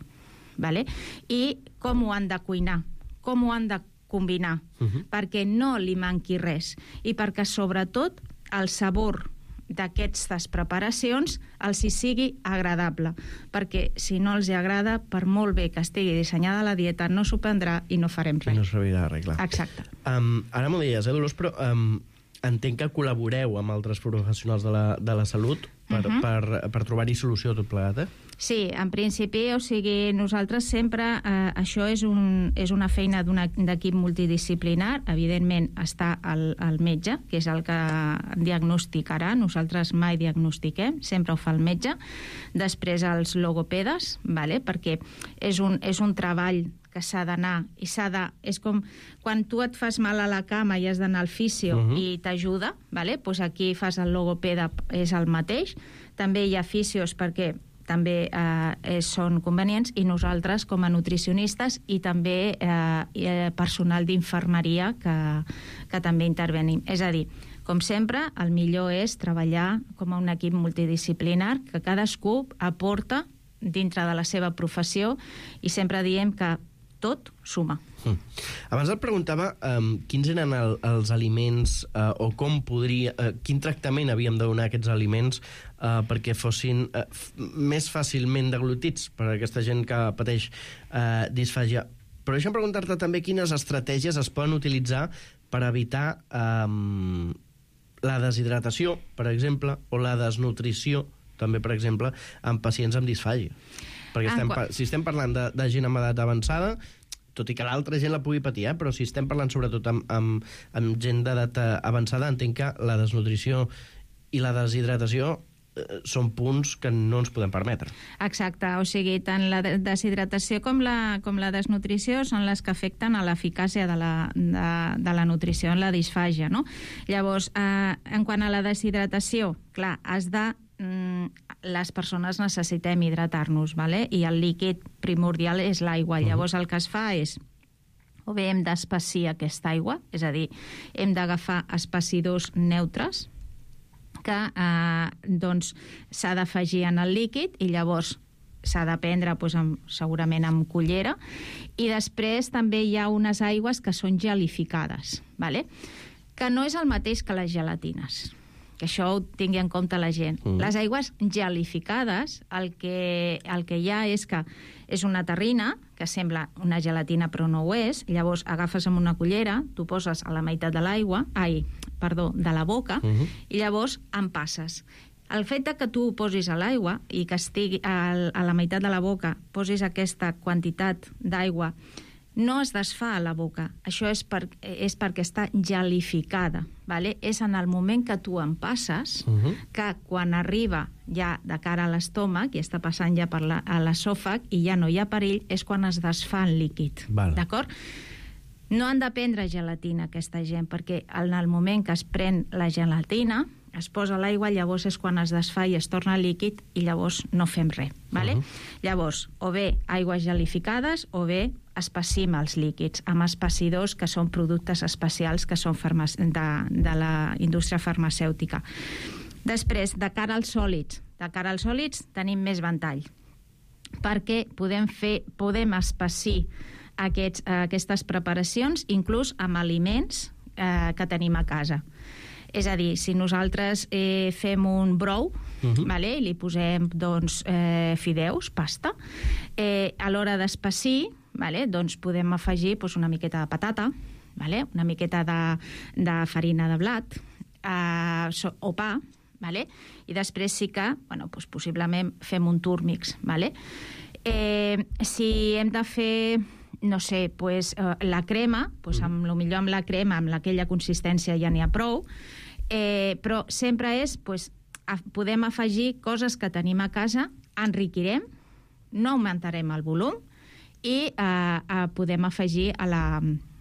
Vale? I com ho han de cuinar, com ho han de combinar, uh-huh. perquè no li manqui res i perquè, sobretot, el sabor d'aquestes preparacions els hi sigui agradable, perquè si no els hi agrada, per molt bé que estigui dissenyada la dieta, no s'ho prendrà i no farem res. I no servirà res, clar. Exacte. Um, ara m'ho deies, eh, Dolors, però um, entenc que col·laboreu amb altres professionals de la, de la salut per, uh-huh. per, per trobar-hi solució a tot plegat, eh? Sí, en principi, o sigui, nosaltres sempre, eh, això és, un, és una feina d'un equip multidisciplinar, evidentment està el, el metge, que és el que diagnosticarà, nosaltres mai diagnostiquem, sempre ho fa el metge, després els logopedes, vale? Perquè és un, és un treball que s'ha d'anar i s'ha de... És com quan tu et fas mal a la cama i has d'anar al fisio uh-huh. i t'ajuda, vale? Pues aquí fas el logopeda, és el mateix. També hi ha fisios perquè també eh, són convenients, i nosaltres com a nutricionistes i també eh, personal d'infermeria que, que també intervenim. És a dir, Com sempre, el millor és treballar com a un equip multidisciplinar, que cadascú aporta dintre de la seva professió i sempre diem que tot suma. Mm. Abans et preguntava um, quins eren el, els aliments uh, o com podria, uh, quin tractament havíem de donar a aquests aliments uh, perquè fossin uh, f més fàcilment deglutits per a aquesta gent que pateix uh, disfàgia. Però deixa'm preguntar-te també quines estratègies es poden utilitzar per evitar um, la deshidratació, per exemple, o la desnutrició, també, per exemple, en pacients amb disfàgia. Perquè estem, si estem parlant de, de gent amb edat avançada, tot i que l'altra gent la pugui patir, eh? Però si estem parlant sobretot amb, amb, amb gent d'edat avançada, entenc que la desnutrició i la deshidratació eh, són punts que no ens podem permetre. Exacte, o sigui, tant la deshidratació com la, com la desnutrició són les que afecten a l'eficàcia de, la, de, de la nutrició en la disfàgia, no? Llavors, eh, en quant a la deshidratació, clar, has de les persones necessitem hidratar-nos, vale? I el líquid primordial és l'aigua. Uh-huh. Llavors el que es fa és, o bé hem d'espessir aquesta aigua, és a dir, hem d'agafar espessidors neutres que eh, doncs s'ha d'afegir en el líquid i llavors s'ha de prendre doncs, amb, segurament amb cullera, i després també hi ha unes aigües que són gelificades, vale? Que no és el mateix que les gelatines, que això ho tingui en compte la gent. Mm. Les aigües gelificades, el que, el que hi ha és que és una terrina, que sembla una gelatina però no ho és, llavors agafes amb una cullera, tu poses a la meitat de l'aigua, ai, perdó, de la boca, mm-hmm. i llavors en passes. El fet que tu posis a l'aigua i que estigui a, a la meitat de la boca, posis aquesta quantitat d'aigua, no es desfà a la boca. Això és, per, és perquè està gelificada. Vale? És en el moment que tu en passes, uh-huh. que quan arriba ja de cara a l'estómac i està passant ja per la, a l'esòfag i ja no hi ha perill, és quan es desfà el líquid. Vale. D'acord? No han de prendre gelatina aquesta gent, perquè en el moment que es pren la gelatina, es posa l'aigua, llavors és quan es desfà i es torna líquid i llavors no fem res. Vale? Uh-huh. Llavors, o bé aigües gelificades o bé espessim els líquids amb espessidors que són productes especials que són farmac... de, de la indústria farmacèutica. Després, de cara als sòlids, de cara als sòlids tenim més ventall, perquè podem fer, podem espessir aquests, aquestes preparacions inclús amb aliments eh, que tenim a casa. És a dir, si nosaltres eh, fem un brou, uh-huh. vale, i li posem doncs, eh, fideus, pasta, eh, a l'hora d'espessir, vale, doncs podem afegir doncs, una miqueta de patata, vale, una miqueta de, de farina de blat eh, so, o pa, vale, i després sí que, bueno, doncs, possiblement fem un túrmix. Vale? Eh, si hem de fer... no sé, pues, eh, la crema, pues, amb, lo millor amb la crema, amb aquella consistència ja n'hi ha prou, eh, però sempre és, pues, a, podem afegir coses que tenim a casa, enriquirem, no augmentarem el volum i eh, eh, podem afegir a la,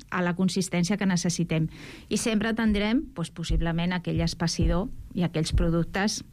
a la consistència que necessitem. I sempre tindrem, pues, possiblement, aquell espessidor i aquells productes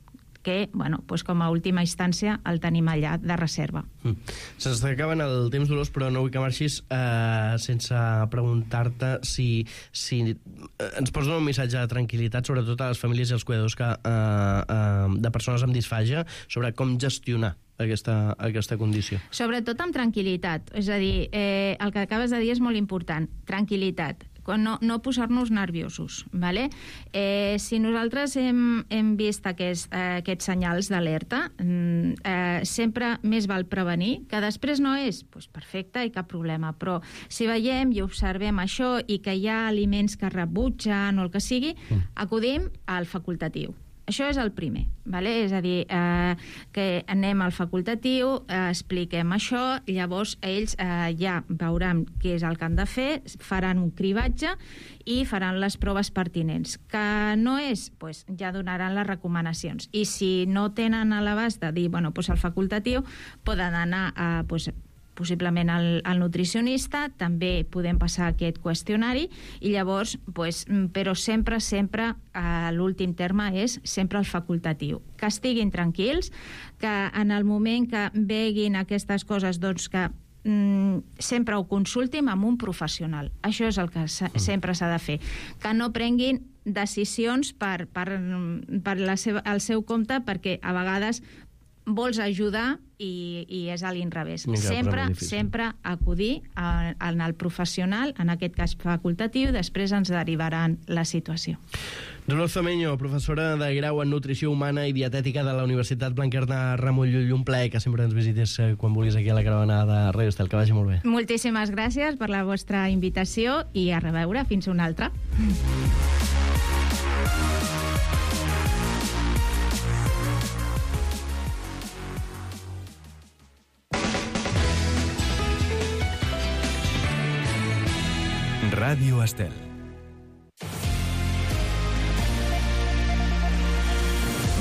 que, bueno, pues com a última instància el tenim allà de reserva. Mm. Se'ns acaben el temps, Dolors, però no vull que marxis eh, sense preguntar-te si, si ens pots donar un missatge de tranquil·litat, sobretot a les famílies i els cuidadors que, eh, eh, de persones amb disfàgia, sobre com gestionar aquesta, aquesta condició. Sobretot amb tranquil·litat. És a dir, eh, el que acabes de dir és molt important. Tranquil·litat. No, no posar-nos nerviosos, ¿vale? Eh, si nosaltres hem, hem vist aquests, eh, aquests senyals d'alerta, eh, sempre més val prevenir, que després no és, doncs perfecte i cap problema, però si veiem i observem això i que hi ha aliments que rebutgen o el que sigui, acudim al facultatiu. Això és el primer, ¿vale? És a dir, eh, que anem al facultatiu, eh, expliquem això, llavors ells eh, ja veuran què és el que han de fer, faran un cribatge i faran les proves pertinents. Que no és, doncs ja donaran les recomanacions. I si no tenen a l'abast de dir, bueno, doncs el facultatiu, poden anar a... Doncs, possiblement al, al nutricionista, també podem passar aquest qüestionari i llavors, pues, però sempre, sempre, a l'últim terme és sempre el facultatiu. Que estiguin tranquils, que en el moment que veguin aquestes coses, doncs que mm, sempre ho consultin amb un professional. Això és el que sempre s'ha de fer. Que no prenguin decisions per, per, per la seva, el seu compte, perquè a vegades vols ajudar i, i és a l'inrevés. Sempre, sempre acudir a, en el professional, en aquest cas facultatiu, després ens derivaran la situació. Dolors Zomeño, professora de grau en Nutrició Humana i Dietètica de la Universitat Blanquerna Ramon Llull. Un plaer que sempre ens visites quan vulguis aquí a la caravana de Ràdio Estel. Que vagi molt bé. Moltíssimes gràcies per la vostra invitació i a reveure. Fins una altra. Ràdio Estel.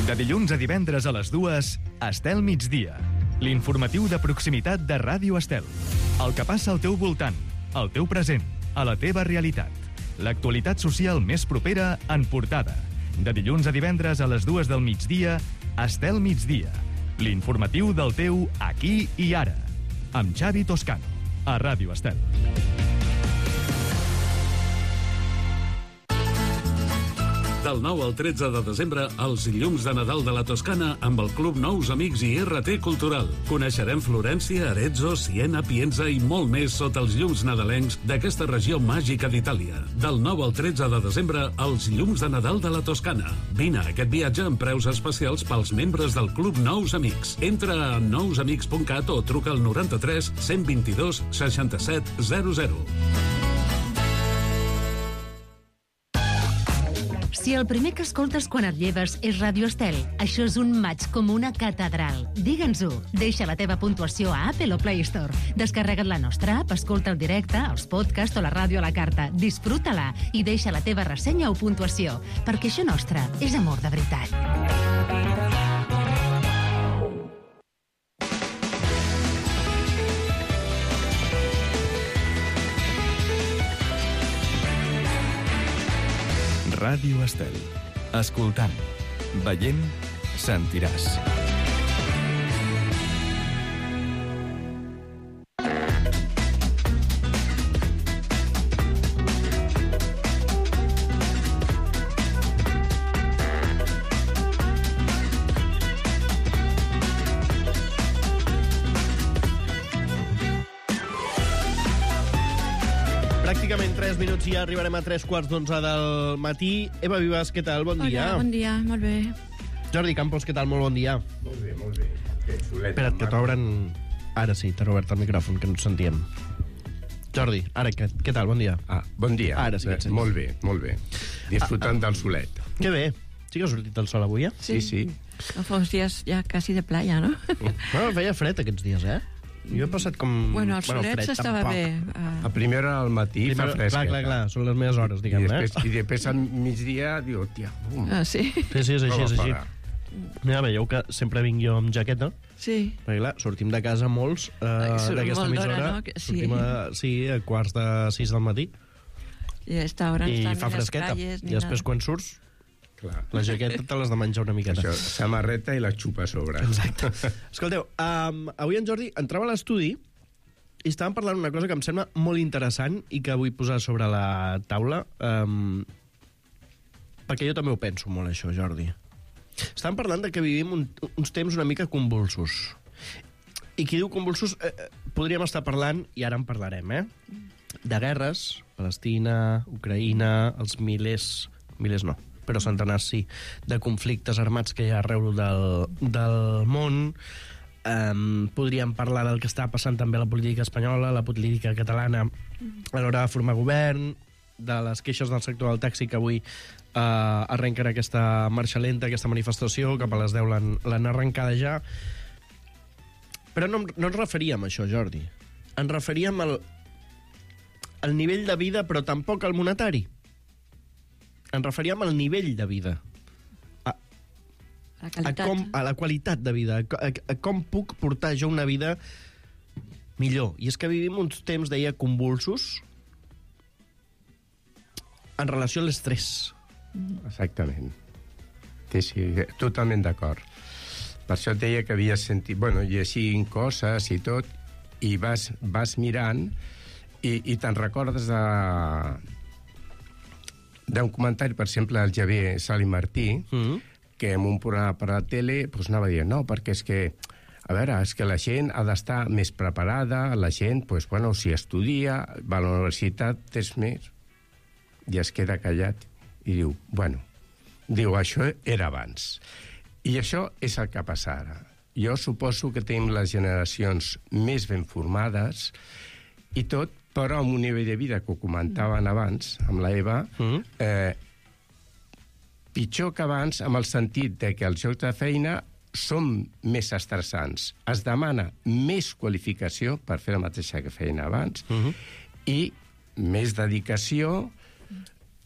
De dilluns a divendres a les dues, Estel Migdia. L'informatiu de proximitat de Ràdio Estel. El que passa al teu voltant, al teu present, a la teva realitat. L'actualitat social més propera en portada. De dilluns a divendres a les dues del migdia, Estel Migdia. L'informatiu del teu aquí i ara. Amb Xavi Toscano, a Ràdio Estel. Del nou al tretze de desembre, els llums de Nadal de la Toscana amb el Club Nous Amics i R T Cultural. Coneixerem Florència, Arezzo, Siena, Pienza i molt més sota els llums nadalencs d'aquesta regió màgica d'Itàlia. Del nou al tretze de desembre, els llums de Nadal de la Toscana. Vine a aquest viatge amb preus especials pels membres del Club Nous Amics. Entra a nous amics punt cat o truca al noranta-tres cent vint-i-dos seixanta-set zero zero. Si el primer que escoltes quan et lleves és Ràdio Estel, això és un maig com una catedral. Digue'ns-ho. Deixa la teva puntuació a Apple o Play Store. Descarrega't la nostra app, escolta el directe, els podcasts o la ràdio a la carta. Disfruta-la i deixa la teva ressenya o puntuació, perquè això nostre és amor de veritat. Ràdio Estel. Escoltant, veient, sentiràs. Pràcticament tres minuts i ja arribarem a tres quarts d'onze del matí. Eva Vives, què tal? Bon dia. Hola, bon dia, molt bé. Jordi Campos, què tal? Molt bon dia. Molt bé, molt bé. Que xulet. Espera't, que t'obren... Ara sí, t'ha obert el micròfon, que no ens sentíem. Jordi, ara, què, què tal? Bon dia. Ah, bon dia. Ara sí que et sents. Molt bé, molt bé. Disfrutant ah, del solet. Que bé. Sí que ha sortit el sol avui, eh? Sí, sí. Fa uns dies ja quasi de playa, no? Bueno, feia fred aquests dies, eh? Jo he passat com... Bueno, el solet s'estava bé. Uh... A primera hora al matí Primer... fa fresca. Clar, clar, clar, són les meves hores, diguem, I després, eh? I després al migdia, diu, hòstia... Um. Ah, sí? Sí, sí, és així, és així. Mira, veieu que sempre vinc jo amb jaqueta. Sí. Perquè, clar, sortim de casa molts uh, d'aquesta emissora. No? Sí. Sortim a, sí, a quarts de sis del matí. I a esta hora I estan fa fresqueta. Calles, I després, quan surts, clar, la jaqueta te l'has de menjar una miqueta. Això, samarreta i la xupa a sobre. Exacte. Escolteu, um, avui en Jordi entrava a l'estudi i estàvem parlant una cosa que em sembla molt interessant i que vull posar sobre la taula, um, perquè jo també ho penso molt, això, Jordi. Estàvem parlant de que vivim un, uns temps una mica convulsos. I qui diu convulsos, eh, podríem estar parlant, i ara en parlarem, eh? De guerres, Palestina, Ucraïna, els milers... Milers no, però centenars sí, de conflictes armats que hi ha arreu del, del món. Um, podríem parlar del que està passant també a la política espanyola, la política catalana a l'hora de formar govern, de les queixes del sector del taxi que avui uh, arrenquen aquesta marxa lenta, aquesta manifestació, cap a les deu l'han arrencada ja. Però no, no ens referíem a això, Jordi. Ens referíem al, al nivell de vida, però tampoc al monetari. Ens referíem al nivell de vida. A, a, com, a la qualitat de vida. A, a, a com puc portar jo una vida millor. I és que vivim uns temps, deia, convulsos en relació a l'estrès. Exactament. Sí, sí, totalment d'acord. Per això et deia que havies sentit... Bueno, llegint coses i tot, i vas, vas mirant i, i te'n recordes de... d'un comentari, per exemple, del Javier Sali Martí, mm. que en un programa per la tele pues, anava dient, no, perquè és que, a veure, és que la gent ha d'estar més preparada, la gent, pues, bueno, si estudia, va a la universitat, és més, i es queda callat i diu, bueno, diu, això era abans. I això és el que passa ara. Jo suposo que tenim les generacions més ben formades i tot, però amb un nivell de vida que ho comentaven abans, amb la Eva, mm. eh, pitjor que abans, amb el sentit de que els llocs de feina són més estressants. Es demana més qualificació per fer la mateixa que feien abans mm-hmm. i més dedicació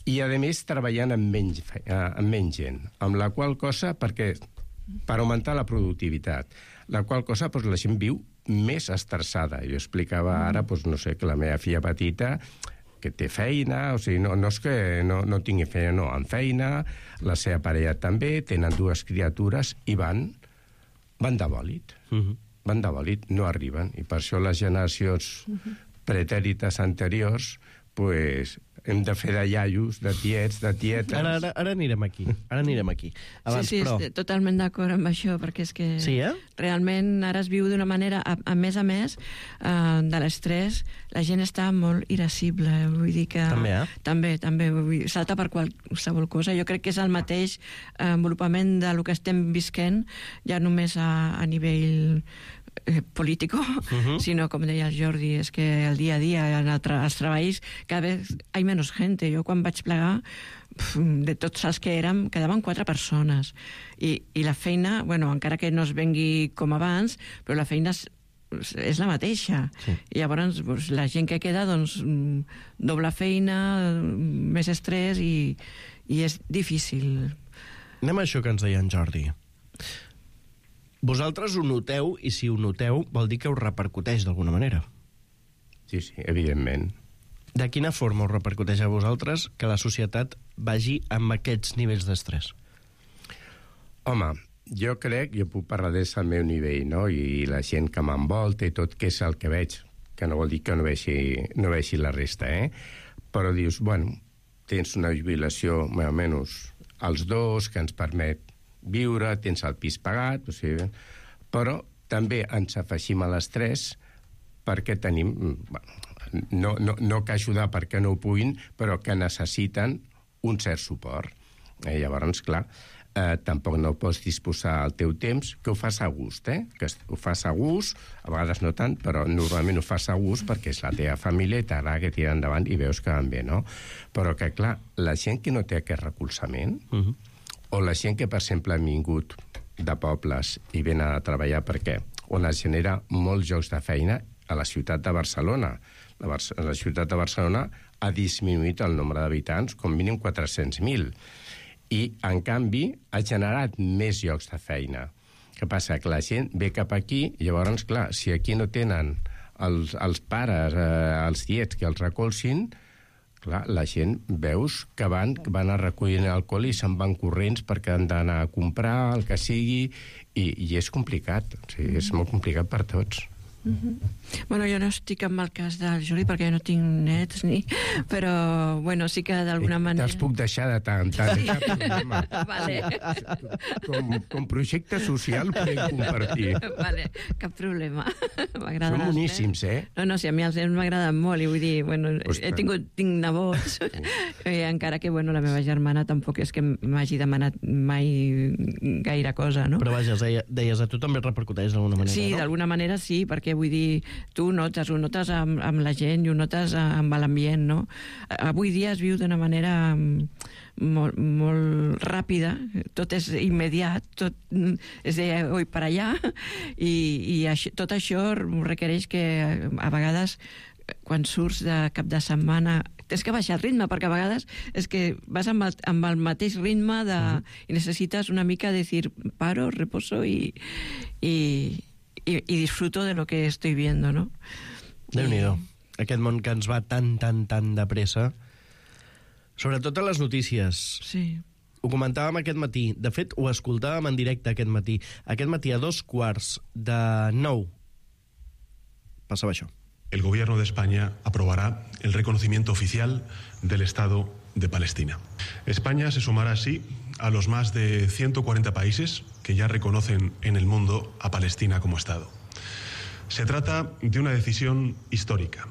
i, a més, treballant amb menys, eh, amb menys gent, amb la qual cosa, perquè per augmentar la productivitat, la qual cosa pues, la gent viu més estressada. Jo explicava ara, pues, no sé, que la meva filla petita que té feina, o sigui, no, no és que no, no tingui feina, no, amb feina, la seva parella també, tenen dues criatures i van, van de bòlit. Uh-huh. Van de bòlit, no arriben. I per això les generacions uh-huh. pretèrites anteriors, pues, hem de fer de iaios, de tiets, de tietes... Ara, ara, ara anirem aquí, ara anirem aquí. Abans, sí, sí, però... estic totalment d'acord amb això, perquè és que sí, eh? realment ara es viu d'una manera, a, a més a més, uh, de l'estrès, la gent està molt irascible, vull dir que... També, eh? També, també, vull dir, salta per qualsevol cosa. Jo crec que és el mateix envolupament del que estem visquent, ja només a, a nivell... Eh, político, uh-huh. sino, com deia el Jordi, és que el dia a dia, en el tra els treballs, cada vegada hi ha menys gent. Jo, quan vaig plegar, pf, de tots els que érem, quedaven quatre persones. I, i la feina, bueno, encara que no es vengui com abans, però la feina és, és la mateixa. Sí. I llavors, doncs, la gent que queda, doncs, doble feina, més estrès, i, i és difícil. Anem a això que ens deia en Jordi. Vosaltres ho noteu, i si ho noteu, vol dir que us repercuteix d'alguna manera. Sí, sí, evidentment. De quina forma us repercuteix a vosaltres que la societat vagi amb aquests nivells d'estrès? Home, jo crec, jo puc parlar des del meu nivell, no?, i la gent que m'envolta i tot, que és el que veig, que no vol dir que no vegi, no vegi la resta, eh? Però dius, bueno, tens una jubilació, més o menys, els dos, que ens permet viure, tens el pis pagat, o sigui, però també ens afegim a l'estrès perquè tenim, bueno, no, no, no que ajudar perquè no ho puguin, però que necessiten un cert suport. Eh, llavors, clar, eh, tampoc no pots disposar el teu temps, que ho fas a gust, eh? Que ho fas a gust, a vegades no tant, però normalment ho fas a gust perquè és la teva família i t'agrada que tira endavant i veus que van bé, no? Però que, clar, la gent que no té aquest recolzament, uh-huh. o la gent que, per exemple, han vingut de pobles i venen a treballar perquè on es genera molts llocs de feina a la ciutat de Barcelona. La, Bar la ciutat de Barcelona ha disminuït el nombre d'habitants com mínim quatre-cents mil i, en canvi, ha generat més llocs de feina. Què passa? Que la gent ve cap aquí i llavors, clar, si aquí no tenen els, els pares, eh, els tiets que els recolzin, clar, la gent veus que van, que van a recollir alcohol i se'n van corrents perquè han d'anar a comprar, el que sigui, i, i és complicat, o sigui, és molt complicat per tots. Mm-hmm. Bueno, jo no estic en el cas del Jordi perquè no tinc nets ni... però, bueno, sí que d'alguna manera... Te'ls puc deixar de tant en tant, sí. cap problema. Vale. Com, com projecte social podem compartir. Vale, cap problema. Són boníssims, eh? No, no, sí, a mi els nens m'agraden molt i vull dir, bueno, Ostres. he tingut, tinc nebots, i encara que, bueno, la meva germana tampoc és que m'hagi demanat mai gaire cosa, no? Però vaja, deies, a tu també repercuteix d'alguna manera, sí, no? Sí, d'alguna manera sí, perquè vull dir, tu notes, ho notes amb, amb la gent i ho notes amb l'ambient, no? Avui dia es viu d'una manera molt, molt ràpida, tot és immediat, tot és de oi per allà, i, i això, tot això requereix que a vegades quan surts de cap de setmana tens que baixar el ritme, perquè a vegades és que vas amb el, amb el mateix ritme de, uh-huh. i necessites una mica dir paro, reposo i, i, i, i disfruto de lo que estoy viendo, no? Déu-n'hi-do. Aquest món que ens va tan, tan, tan de pressa. Sobretot a les notícies. Sí. Ho comentàvem aquest matí. De fet, ho escoltàvem en directe aquest matí. Aquest matí, a dos quarts de nou, passava això. El gobierno de España aprobará el reconocimiento oficial del Estado de Palestina. España se sumará así a los más de ciento cuarenta países que ya reconocen en el mundo a Palestina como Estado. Se trata de una decisión histórica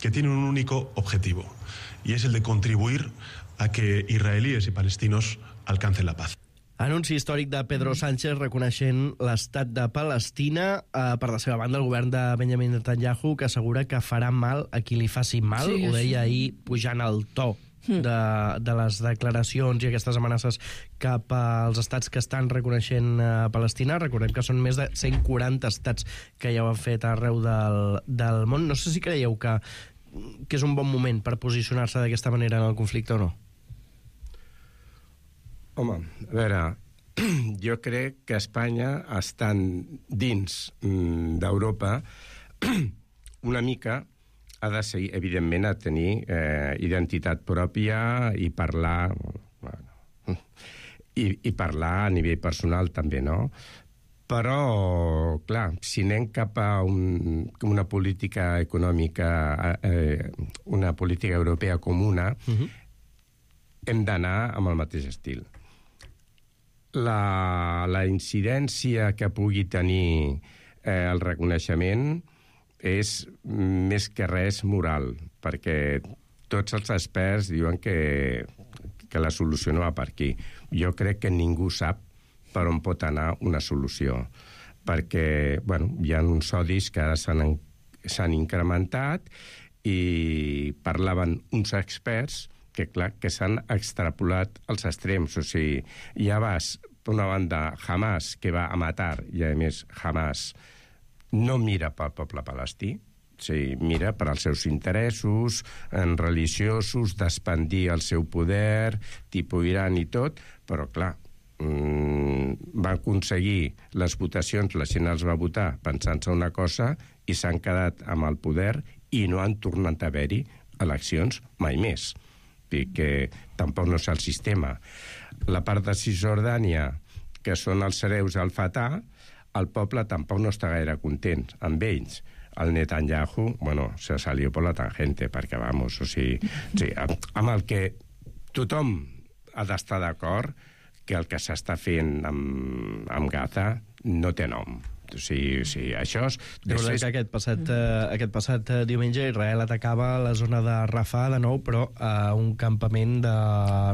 que tiene un único objetivo, y es el de contribuir a que israelíes y palestinos alcancen la paz. Anunci històric de Pedro Sánchez reconeixent l'estat de Palestina. Eh, per la seva banda, el govern de Benjamin Netanyahu, que assegura que farà mal a qui li faci mal. Sí, Ho deia sí. ahir pujant el to de, de les declaracions i aquestes amenaces cap als estats que estan reconeixent a Palestina. Recordem que són més de cent quaranta estats que ja ho han fet arreu del, del món. No sé si creieu que, que és un bon moment per posicionar-se d'aquesta manera en el conflicte o no. Home, a veure, jo crec que Espanya, estant dins d'Europa, una mica ha de seguir, evidentment, a tenir eh, identitat pròpia i parlar, bueno, i, i parlar a nivell personal també, no? Però, clar, si anem cap a un, una política econòmica, eh, una política europea comuna, uh-huh. hem d'anar amb el mateix estil. La, la incidència que pugui tenir eh, el reconeixement és més que res moral, perquè tots els experts diuen que, que la solució no va per aquí. Jo crec que ningú sap per on pot anar una solució, perquè bueno, hi ha uns odis que ara s'han, s'han incrementat i parlaven uns experts que, clar, que s'han extrapolat als extrems. O sigui, ja vas, per una banda, Hamas, que va a matar, i a més Hamas no mira pel poble palestí, o sigui, mira per als seus interessos en religiosos, d'expandir el seu poder, tipus Iran i tot, però, clar, mmm, van aconseguir les votacions, la gent els va votar pensant-se una cosa i s'han quedat amb el poder i no han tornat a haver-hi eleccions mai més. I que tampoc no és el sistema. La part de Cisjordània, que són els hereus al Fatah, el poble tampoc no està gaire content amb ells. El Netanyahu, bueno, se salió por la tangente, perquè, vamos, o sigui, sí, amb el que tothom ha d'estar d'acord que el que s'està fent amb, amb Gaza no té nom. O sigui, sí, això és... Recordem que aquest passat, eh, aquest passat eh, diumenge Israel atacava la zona de Rafah de nou, però a un campament de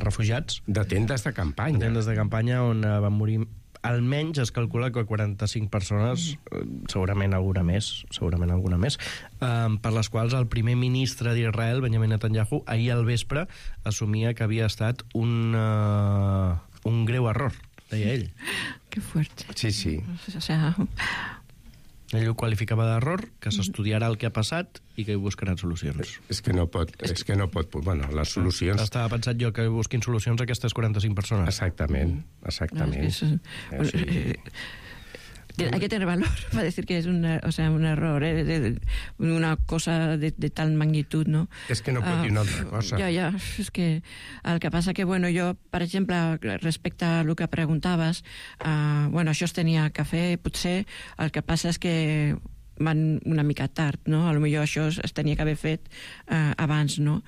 refugiats. De tendes de campanya. De tendes de campanya on eh, van morir almenys, es calcula que quaranta-cinc persones, eh, segurament alguna més, segurament alguna més, eh, per les quals el primer ministre d'Israel, Benjamin Netanyahu, ahir al vespre assumia que havia estat un, eh, un greu error, deia ell. Que fuerte. Sí, sí. O sea... Ell ho qualificava d'error, que s'estudiarà el que ha passat i que hi buscaran solucions. És que no pot... És que no pot bueno, les solucions... Estava pensat jo que busquin solucions a aquestes quaranta-cinc persones. Exactament, exactament. No, es que es, sí. eh, hay que tener valor para decir que es una, o sea, un error, ¿eh? de, de, una cosa de, de tal magnitud, no? És que no pot dir una altra cosa. Ja, ja, és que el que passa que, bueno, jo, per exemple, respecte a el que preguntaves, uh, bueno, això es tenia que fer, potser el que passa és que van una mica tard, no? A lo millor això es, es tenia que haver fet uh, abans, no?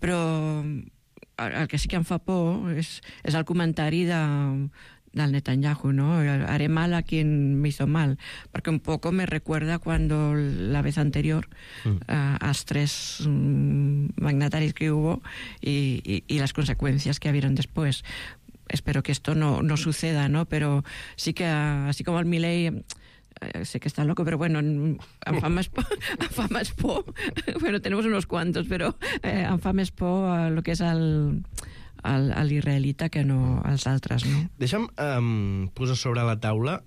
Però el que sí que em fa por és, és el comentari de... del Netanyahu, ¿no? Haré mal a quien me hizo mal, porque un poco me recuerda cuando la vez anterior mm. uh, a los tres um, magnatarios que hubo y, y, y las consecuencias que hubieron después. Espero que esto no, no suceda, ¿no? Pero sí que, uh, así como el Milei, uh, sé que está loco, pero bueno, en, en fa més por, en fa més por, bueno, tenemos unos cuantos, pero eh, en fa més por uh, lo que és el... a l'israelita que no als altres, no? Deixa'm um, posar sobre la taula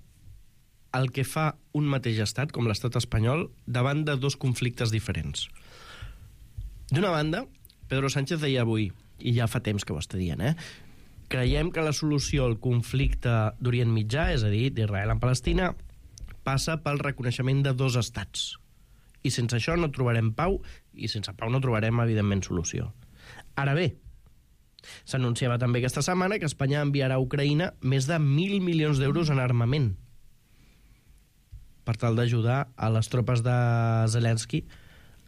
el que fa un mateix estat, com l'estat espanyol, davant de dos conflictes diferents. D'una banda, Pedro Sánchez deia avui, i ja fa temps que ho està dient, eh? Creiem que la solució al conflicte d'Orient Mitjà, és a dir, d'Israel amb Palestina, passa pel reconeixement de dos estats. I sense això no trobarem pau, i sense pau no trobarem, evidentment, solució. Ara bé, s'anunciava també aquesta setmana que Espanya enviarà a Ucraïna més de mil milions d'euros en armament per tal d'ajudar a les tropes de Zelensky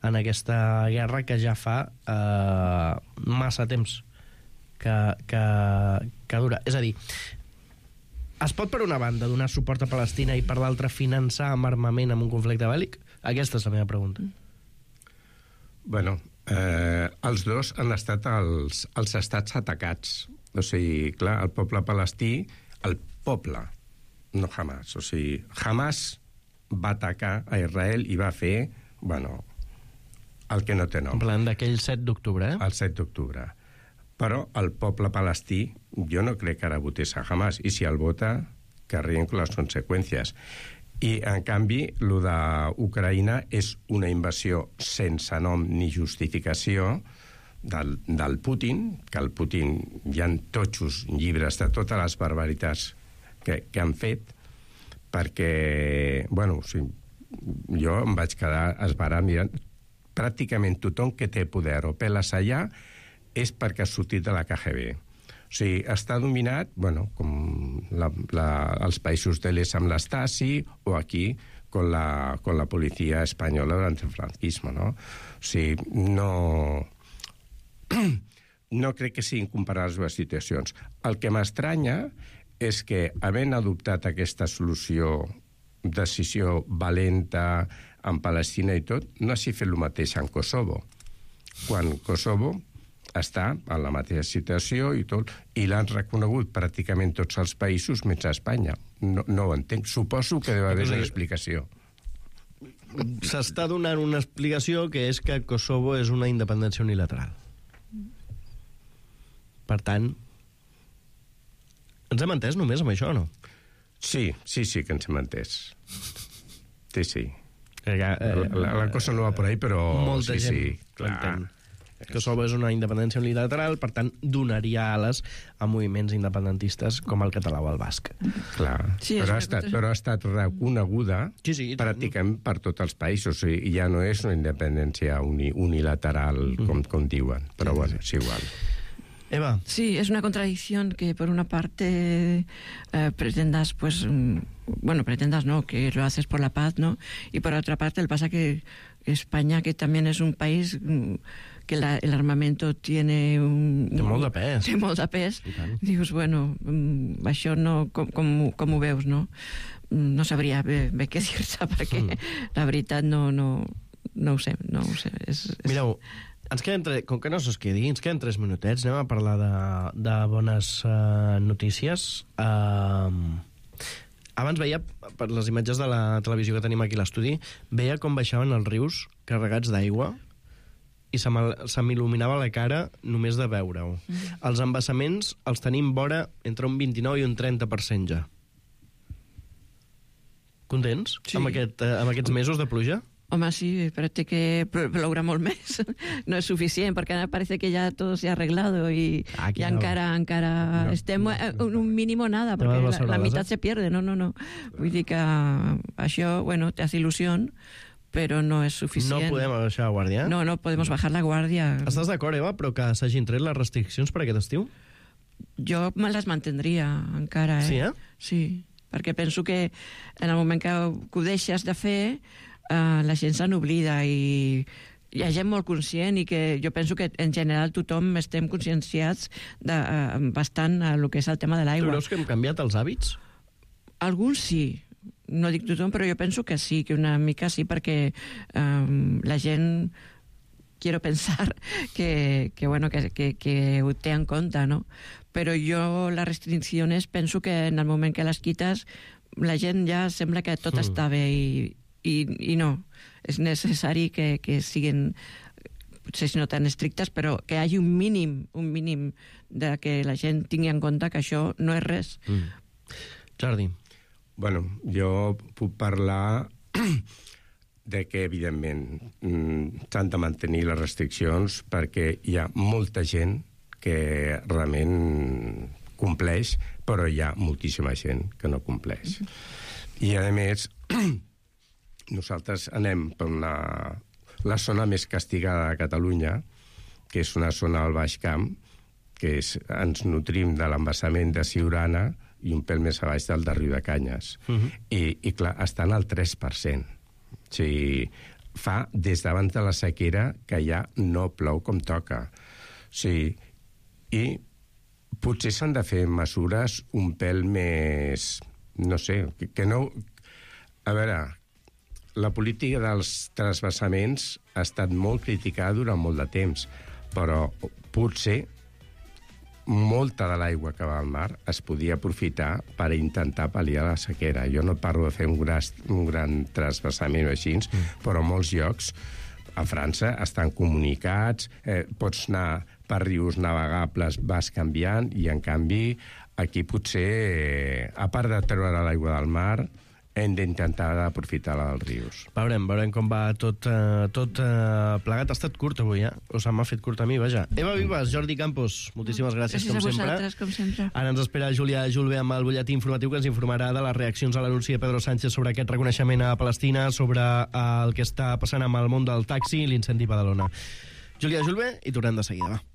en aquesta guerra que ja fa eh, massa temps que, que, que dura. És a dir, es pot per una banda donar suport a Palestina i per l'altra finançar amb armament en un conflicte bèl·lic? Aquesta és la meva pregunta. Bueno, eh, els dos han estat els, els estats atacats. O sigui, clar, el poble palestí, el poble, no Hamas. O sigui, Hamas va atacar a Israel i va fer, bueno, el que no té nom. En plan d'aquell set d'octubre, eh? El set d'octubre. Però el poble palestí, jo no crec que ara votés a Hamas, i si el vota, que rien con les conseqüències. I, en canvi, el d'Ucraïna és una invasió sense nom ni justificació del, del Putin, que el Putin hi ha totxos llibres de totes les barbaritats que, que han fet, perquè, bueno, o sigui, jo em vaig quedar esbarat mirant. Pràcticament tothom que té poder o peles allà és perquè ha sortit de la K G B. O sigui, està dominat, bueno, com la, la, els països de l'est amb l'Stasi o aquí con la, con la policia espanyola durant el franquisme, no? O sigui, no... no crec que siguin comparades les situacions. El que m'estranya és que, havent adoptat aquesta solució, decisió valenta en Palestina i tot, no hagi fet el mateix en Kosovo, quan Kosovo està en la mateixa situació i tot, i l'han reconegut pràcticament tots els països menys Espanya. No, no ho entenc. Suposo que deu haver una explicació. S'està donant una explicació que és que Kosovo és una independència unilateral. Per tant, ens hem entès només amb això, o no? Sí, sí, sí que ens hem entès. Sí, sí. Eh, la, la, la cosa no va por ahí, però... Molta sí, gent sí, clar. Kosovo és una independència unilateral, per tant, donaria ales a moviments independentistes com el català o el basc. Clar, sí, però, ha estat, però ha estat reconeguda sí, sí, pràcticament per tots els països, i ja no és una independència uni, unilateral, mm. com, com diuen, però sí, bueno, és igual. Eva. Sí, es una contradicción que por una parte eh, pretendas, pues, bueno, pretendas no, que lo haces por la paz, ¿no? Y por otra parte, el pasa que España, que también es un país que la, el armamento tiene un... Té molt de pes. Té molt de pes. Dius, bueno, això no... Com, com, com ho veus, no? No sabria bé, bé què dir-se, perquè mm. la veritat no, no, no ho sé, no ho sé. És, és... Mireu, ens queden tre... com que no se'ls quedi, ens queden tres minutets, anem a parlar de, de bones uh, notícies. Uh, abans veia, per les imatges de la televisió que tenim aquí a l'estudi, veia com baixaven els rius carregats d'aigua i se m'il·luminava la cara només de veure-ho. Mm. Els embassaments els tenim vora entre un vint-i-nou i un trenta per cent ja. Contents sí. amb, aquest, uh, amb aquests mesos de pluja? Home, sí, però té que ploure molt més. No és suficient, perquè ara parece que ja tot s'ha arreglado i, i no. encara, encara no. estem en un mínim nada, perquè la, la meitat se pierde. No, no, no. Vull dir que això, bueno, te hace ilusión, però no és suficient. No podem baixar la guàrdia? No, no podem bajar la guàrdia. Estàs d'acord, Eva, però que s'hagin tret les restriccions per aquest estiu? Jo me les mantendria encara, eh? Sí, eh? Sí, perquè penso que en el moment que ho deixes de fer... Uh, la gent se n'oblida i hi ha gent molt conscient i que jo penso que en general tothom estem conscienciats de, uh, bastant a lo que és el tema de l'aigua. Tu creus que hem canviat els hàbits? Alguns sí, no dic tothom, però jo penso que sí, que una mica sí, perquè um, la gent quiero pensar que, que, bueno, que, que, que ho té en compte, no? Però jo les restriccions penso que en el moment que les quites la gent ja sembla que tot mm. està bé i I, i no, és necessari que, que siguin, potser no tan estrictes, però que hi hagi un mínim, un mínim de que la gent tingui en compte que això no és res. Mm. Jordi. Bueno, jo puc parlar de que, evidentment, s'han de mantenir les restriccions perquè hi ha molta gent que realment compleix, però hi ha moltíssima gent que no compleix. I, a més... nosaltres anem per una, la zona més castigada de Catalunya, que és una zona al Baix Camp, que és, ens nutrim de l'embassament de Siurana i un pèl més a baix del de Riu de Canyes. Uh-huh. I, I, clar, estan al tres per cent. O sigui, fa des d'abans de la sequera que ja no plou com toca. O sigui, i potser s'han de fer mesures un pèl més... No sé, que, que no... A veure, la política dels transvasaments ha estat molt criticada durant molt de temps, però potser molta de l'aigua que va al mar es podia aprofitar per intentar pal·liar la sequera. Jo no parlo de fer un gran, un gran transvasament o així, mm. però a molts llocs a França estan comunicats, eh, pots anar per rius navegables, vas canviant, i en canvi aquí potser, eh, a part de treure l'aigua del mar, hem d'intentar aprofitar-la dels rius. Veurem, veurem com va tot, eh, tot eh, plegat. Ha estat curt avui, eh? O se m'ha fet curt a mi, vaja. Eva Vives, Jordi Campos, moltíssimes gràcies, gràcies com a sempre. vosaltres, com sempre. Ara ens espera Júlia Julve amb el butlletí informatiu que ens informarà de les reaccions a l'anunci de Pedro Sánchez sobre aquest reconeixement a Palestina, sobre el que està passant amb el món del taxi i l'incendi a Badalona. Júlia Julve, i tornem de seguida, va.